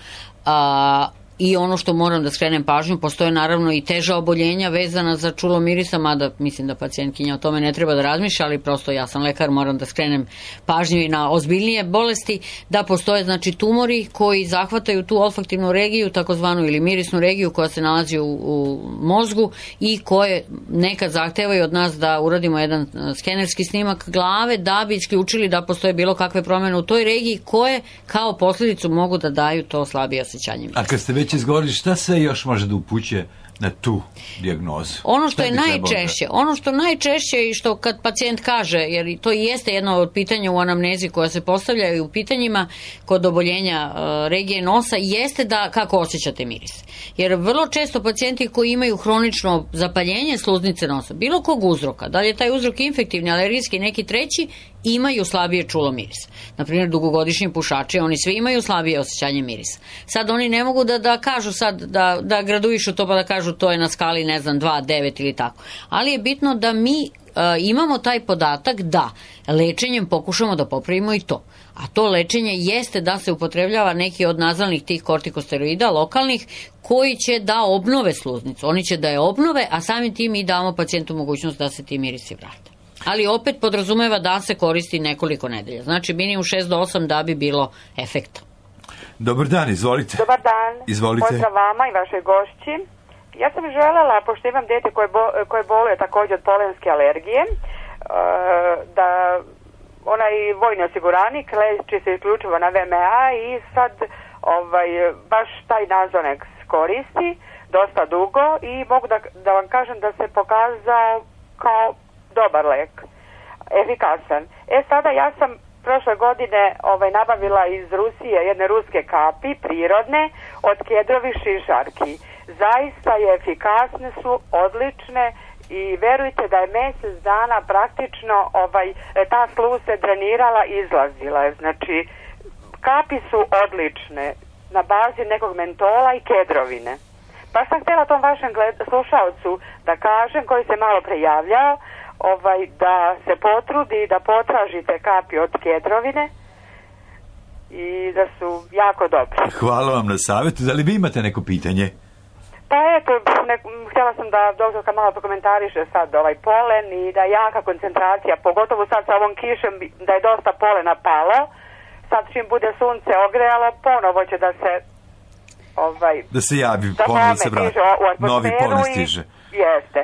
[SPEAKER 4] A I ono što moram da skrenem pažnju, postoje naravno i teža oboljenja vezana za čulo mirisa, mada mislim da pacijentkinja o tome ne treba da razmišlja, ali prosto ja sam lekar, moram da skrenem pažnju i na ozbiljnije bolesti, da postoje znači tumori koji zahvataju tu olfaktivnu regiju, takozvanu ili mirisnu regiju koja se nalazi u, u mozgu i koje nekad zahtevaju od nas da uradimo jedan skenerski snimak glave da bi isključili da postoje bilo kakve promene u toj regiji koje kao posljedicu mogu da daju to slabije osjećanje mirisa.
[SPEAKER 3] A kad ste već izgovorili, šta sve još može da upućuje na tu dijagnozu?
[SPEAKER 4] Ono što je najčešće, ono što najčešće i što kad pacijent kaže, jer to i jeste jedno od pitanja u anamnezi koja se postavljaju u pitanjima kod oboljenja uh, regije nosa, jeste da kako osjećate miris. Jer vrlo često pacijenti koji imaju hronično zapaljenje sluznice nosa, bilo kog uzroka, da li je taj uzrok infektivni, alergijski, neki treći, imaju slabije čulo mirisa. Naprimjer, dugogodišnji pušači, oni svi imaju slabije osjećanje mirisa. Sad oni ne mogu da, da kažu sad, da, da graduišu to pa da kažu to je na skali, ne znam, dva, devet ili tako. Ali je bitno da mi uh, imamo taj podatak da lečenjem pokušamo da popravimo i to. A to lečenje jeste da se upotrebljava neki od nazalnih tih kortikosteroida lokalnih koji će da obnove sluznicu. Oni će da je obnove, a samim tim i damo pacijentu mogućnost da se ti mirisi vrate. Ali opet podrazumeva da se koristi nekoliko nedelja. Znači minimum šest do osam da bi bilo efekta.
[SPEAKER 3] Dobar dan, izvolite.
[SPEAKER 13] Dobar dan.
[SPEAKER 3] Izvolite.
[SPEAKER 13] Pozdrav vama i vašoj gošći. Ja sam želela, pošto imam dete koje, bo, koje boluje također od polenske alergije, da onaj vojni osiguranik leči se isključivo na V M A i sad ovaj, baš taj Nazonex koristi dosta dugo i mogu da, da vam kažem da se pokazao kao dobar lek, efikasan. E sada ja sam prošle godine ovaj, nabavila iz Rusije jedne ruske kapi, prirodne, od kedrovih šišarki. Zaista je efikasne su, odlične i verujte da je mjesec dana praktično ovaj, ta sluza se drenirala i izlazila. Znači, kapi su odlične na bazi nekog mentola i kedrovine. Pa sam htjela tom vašem gled, slušalcu da kažem, koji se malo prijavljao, ovaj, da se potrudi da potražite kapi od kedrovine i da su jako dobre.
[SPEAKER 3] Hvala vam na savjetu. Da li vi imate neko pitanje?
[SPEAKER 13] Pa eto, ne, htjela sam da doktorka malo prokomentariše sad ovaj polen i da jaka koncentracija, pogotovo sad sa ovom kišom, da je dosta polena palo. Sad čim bude sunce ogrejalo, ponovo će da se ovaj,
[SPEAKER 3] da se javi, ponovo se vrati. Novi polen stiže.
[SPEAKER 13] Jeste.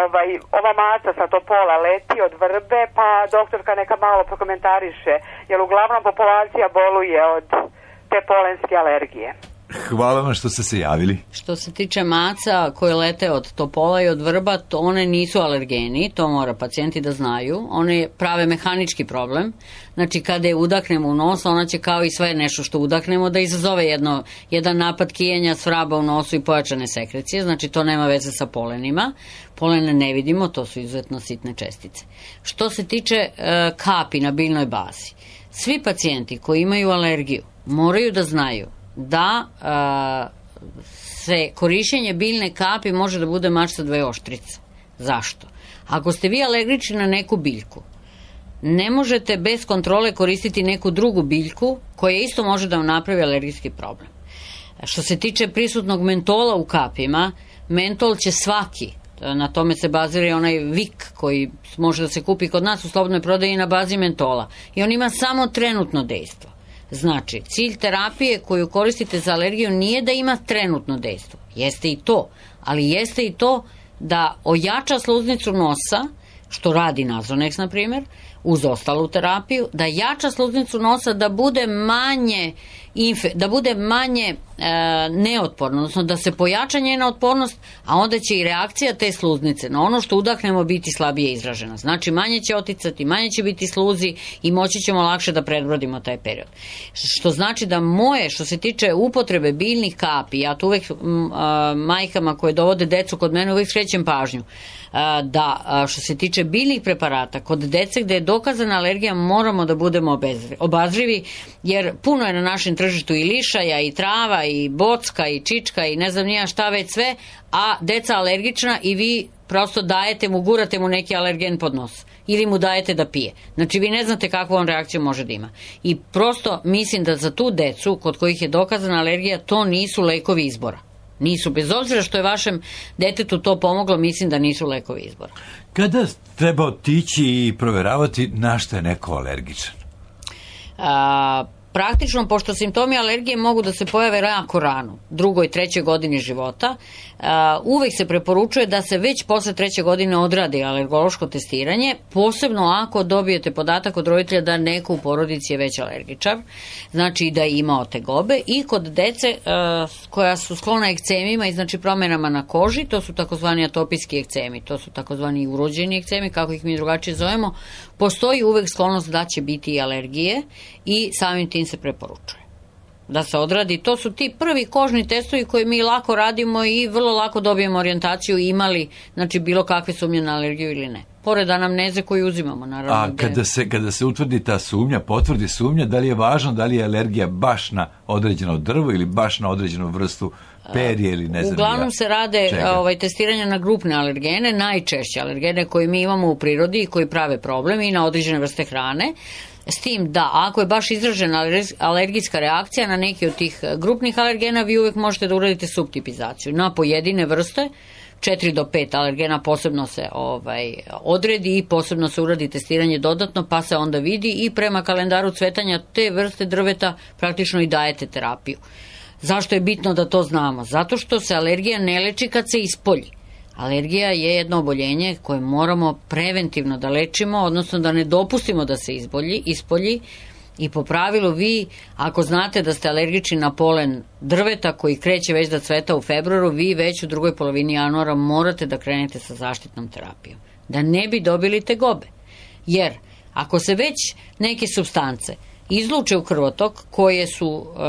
[SPEAKER 13] Ovaj, ova maca sa topola leti od vrbe, pa doktorka neka malo prokomentariše, jer uglavnom populacija boluje od te polenske alergije.
[SPEAKER 3] Hvala vam što ste se javili.
[SPEAKER 4] Što se tiče maca koje lete od topola i od vrba, to one nisu alergeni, to mora pacijenti da znaju. One prave mehanički problem. Znači, kada je udahnemo u nos, ona će kao i sve nešto što udahnemo da izazove jedno, jedan napad kijenja, svraba u nosu i pojačane sekrecije. Znači, to nema veze sa polenima. Polene ne vidimo, to su izuzetno sitne čestice. Što se tiče e, kapi na biljnoj bazi, svi pacijenti koji imaju alergiju moraju da znaju da a, se korišćenje biljne kapi može da bude mač sa dve oštrice. Zašto? Ako ste vi alergični na neku biljku, ne možete bez kontrole koristiti neku drugu biljku koja isto može da vam napravi alergijski problem. Što se tiče prisutnog mentola u kapima, mentol će svaki, na tome se bazira onaj Vik koji može da se kupi kod nas u slobodnoj prodaji na bazi mentola. I on ima samo trenutno dejstvo. Znači, cilj terapije koju koristite za alergiju nije da ima trenutno dejstvo. Jeste i to, ali jeste i to da ojača sluznicu nosa, što radi Nazonex, na primjer, uz ostalu terapiju, da jača sluznicu nosa da bude manje infe, da bude manje e, neotporno, odnosno da se pojača njena otpornost, a onda će i reakcija te sluznice na ono što udahnemo biti slabije izražena. Znači, manje će oticati, manje će biti sluzi i moći ćemo lakše da prebrodimo taj period. Što znači da moje, što se tiče upotrebe biljnih kapi, ja tu uvek m, a, majkama koje dovode decu kod mene uvek skrećem pažnju, a, da a, što se tiče biljnih preparata, kod dece gde je dokazana alergija moramo da budemo obazrivi, jer puno je na našem tržištu i lišaja, i trava, i bocka, i čička, i ne znam nija šta već sve, a deca alergična i vi prosto dajete mu, gurate mu neki alergen pod nos ili mu dajete da pije. Znači, vi ne znate kakvu on reakciju može da ima. I prosto mislim da za tu decu kod kojih je dokazana alergija, to nisu lekovi izbora. Nisu, bez obzira što je vašem detetu to pomoglo, mislim da nisu lekovi izbora.
[SPEAKER 3] Kada treba otići i proveravati na što je neko alergičan?
[SPEAKER 4] A, praktično, pošto simptomi alergije mogu da se pojave jako rano, drugoj, trećoj godini života, uvek se preporučuje da se već posle treće godine odradi alergološko testiranje, posebno ako dobijete podatak od roditelja da neko u porodici je već alergičar, znači da je imao tegobe, i kod dece koja su sklona ekcemima i znači promenama na koži, to su takozvani atopijski ekcemi, to su takozvani urođeni ekcemi, kako ih mi drugačije zovemo, postoji uvek sklonost da će biti i alergije i samim tim se preporučuje da se odradi. To su ti prvi kožni testovi koje mi lako radimo i vrlo lako dobijemo orijentaciju imali, znači, bilo kakve sumnje na alergiju ili ne. Pored anamneze koju uzimamo, naravno.
[SPEAKER 3] A kada se, kada se utvrdi ta sumnja, potvrdi sumnja, da li je važno da li je alergija baš na određeno drvo ili baš na određenu vrstu perje ili ne znam.
[SPEAKER 4] Uglavnom se rade ovaj, testiranja na grupne alergene, najčešće alergene koje mi imamo u prirodi i koji prave problem, i na određene vrste hrane. S tim da, ako je baš izražena alergijska reakcija na neki od tih grupnih alergena, vi uvek možete da uradite subtipizaciju na pojedine vrste četiri do pet alergena posebno se ovaj, odredi i posebno se uradi testiranje dodatno, pa se onda vidi i prema kalendaru cvetanja te vrste drveta praktično i dajete terapiju. Zašto je bitno da to znamo? Zato što se alergija ne leči kad se ispolji. Alergija je jedno oboljenje koje moramo preventivno da lečimo, odnosno da ne dopustimo da se izbolji, ispolji. I po pravilu vi, ako znate da ste alergični na polen drveta koji kreće već da cveta u februaru, vi već u drugoj polovini januara morate da krenete sa zaštitnom terapijom. Da ne bi dobili tegobe. Jer ako se već neke supstance izluče u krvotok koje su e,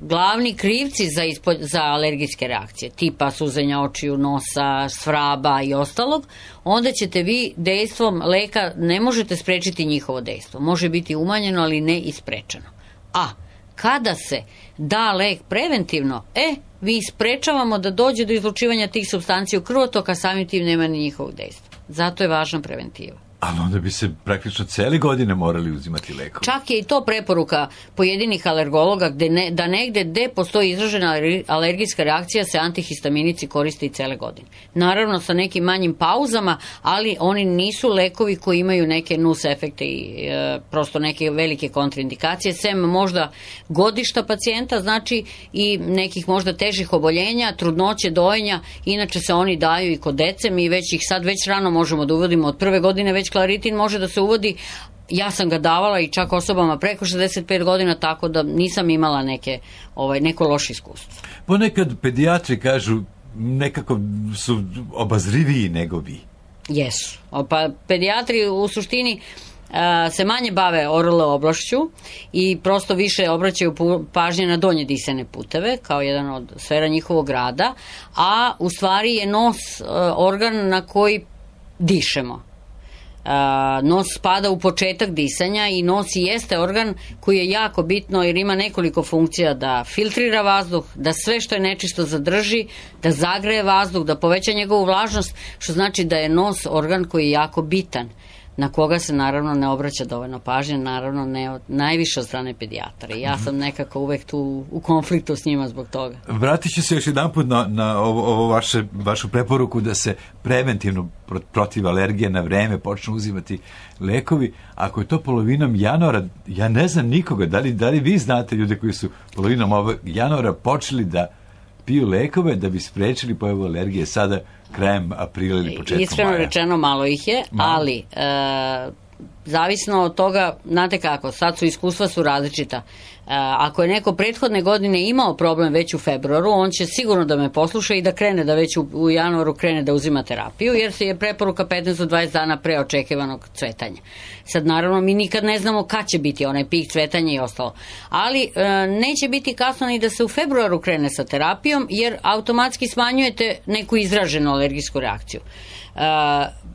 [SPEAKER 4] glavni krivci za, ispo, za alergijske reakcije, tipa suzenja očiju, nosa, svraba i ostalog, onda ćete vi dejstvom leka, ne možete sprečiti njihovo dejstvo. Može biti umanjeno, ali ne i sprečeno. A kada se da lek preventivno, e, vi sprečavamo da dođe do izlučivanja tih supstanci u krvotok, a samim tim nema ni njihovog dejstva. Zato je važna preventiva.
[SPEAKER 3] Ali onda bi se praktično cele godine morali uzimati lekove.
[SPEAKER 4] Čak je i to preporuka pojedinih alergologa gde ne, da negde gde postoji izražena alergijska reakcija se antihistaminici koriste i cele godine. Naravno sa nekim manjim pauzama, ali oni nisu lekovi koji imaju neke nus efekte i e, prosto neke velike kontraindikacije, sem možda godišta pacijenta, znači i nekih možda težih oboljenja, trudnoće, dojenja, inače se oni daju i kod dece, mi već ih sad već rano možemo da uvodimo od prve godine, već klaritin može da se uvodi, ja sam ga davala i čak osobama preko šezdeset pet godina, tako da nisam imala neke, ovaj, neko loše iskustvo.
[SPEAKER 3] Ponekad pedijatri kažu nekako su obazriviji nego vi.
[SPEAKER 4] Jesu. Pa pedijatri u suštini a, se manje bave O R L oblašću i prosto više obraćaju pažnje na donje disajne puteve kao jedan od sfera njihovog rada, a u stvari je nos a, organ na koji dišemo. Uh, nos spada u početak disanja i nos i jeste organ koji je jako bitno jer ima nekoliko funkcija da filtrira vazduh, da sve što je nečisto zadrži, da zagreje vazduh, da poveća njegovu vlažnost, što znači da je nos organ koji je jako bitan, na koga se naravno ne obraća dovoljno pažnje, naravno ne od, najviše od strane pedijatra. I ja sam nekako uvek tu u konfliktu s njima zbog toga.
[SPEAKER 3] Vratit ću se još jedan put na, na ovo, ovo vaše, vašu preporuku da se preventivno protiv alergije na vreme počnu uzimati lekovi. Ako je to polovinom januara, ja ne znam nikoga, da li, da li vi znate ljude koji su polovinom ovog januara počeli da piju lekove da bi sprečili pojavu alergije sada krajem aprila ili početkom maja?
[SPEAKER 4] Iskreno rečeno malo ih je, malo. ali e, zavisno od toga, znate kako, sad su iskustva su različita. E, ako je neko prethodne godine imao problem već u februaru, on će sigurno da me posluša i da krene, da već u, u januaru krene da uzima terapiju, jer se je preporuka petnaest do dvadeset dana pre očekivanog cvetanja. Sad naravno mi nikad ne znamo kad će biti onaj pik cvetanja i ostalo. Ali e, neće biti kasno ni da se u februaru krene sa terapijom, jer automatski smanjujete neku izraženu alergijsku reakciju. E,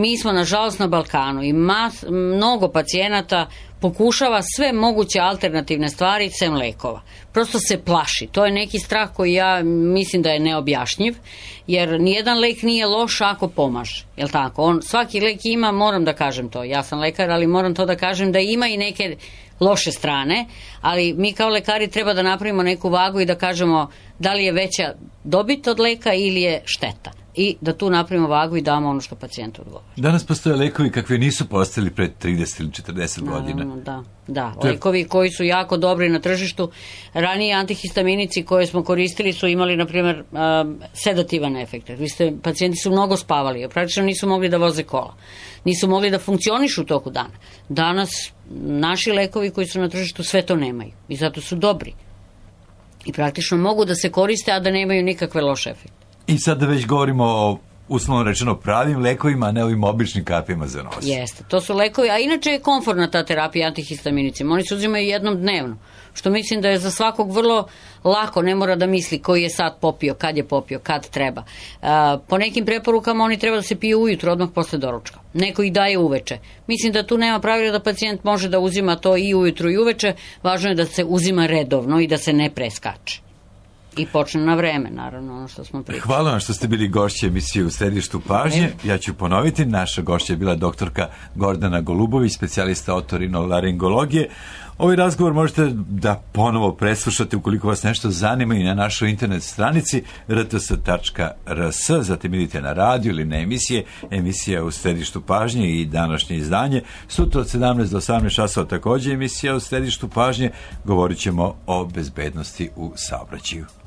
[SPEAKER 4] mi smo nažalost na Balkanu i mas, mnogo pacijenata pokušava sve moguće alternativne stvari sem lekova. Prosto se plaši. To je neki strah koji ja mislim da je neobjašnjiv, jer nijedan lek nije loš ako pomaže. Jel tako? On, svaki lek ima, moram da kažem to, ja sam lekar, ali moram to da kažem da ima i neke loše strane, ali mi kao lekari treba da napravimo neku vagu i da kažemo da li je veća dobit od leka ili je šteta. I da tu napravimo vagu i damo ono što pacijentu odgovara.
[SPEAKER 3] Danas postoje lekovi kakvi nisu postali pred trideset ili četrdeset godina.
[SPEAKER 4] Da, da. Lekovi koji su jako dobri na tržištu. Ranije antihistaminici koje smo koristili su imali, na primjer, um, sedativan efekt. Vi ste, pacijenti su mnogo spavali, praktično nisu mogli da voze kola. Nisu mogli da funkcionišu u toku dana. Danas naši lekovi koji su na tržištu sve to nemaju i zato su dobri. I praktično mogu da se koriste, a da nemaju nikakve loše efekte.
[SPEAKER 3] I sad da već govorimo o, uslovno rečeno, pravim lekovima, a ne ovim običnim kapima za nos.
[SPEAKER 4] Jeste, to su lekovi, a inače je komfortna ta terapija antihistaminicima. Oni se uzimaju jednom dnevno, što mislim da je za svakog vrlo lako, ne mora da misli koji je sad popio, kad je popio, kad treba. A, po nekim preporukama oni treba da se piju ujutro, odmah posle doručka. Neko ih daje uveče. Mislim da tu nema pravila da pacijent može da uzima to i ujutro i uveče, važno je da se uzima redovno i da se ne preskače. I počne na vreme, naravno, ono što smo pričali.
[SPEAKER 3] Hvala vam što ste bili gošće emisije U središtu pažnje. Ja ću ponoviti, naša gošća je bila doktorka Gordana Golubović, specijalista otorinolaringologije. Ovaj razgovor možete da ponovo preslušate ukoliko vas nešto zanima i na našoj internet stranici r t s tačka r s, zatim idite na radio ili na emisije, emisija u središtu pažnje i današnje izdanje. Sutra od sedamnaest do osamnaest časova također emisija u središtu pažnje, govorit ćemo o bezbednosti u saobraćaju.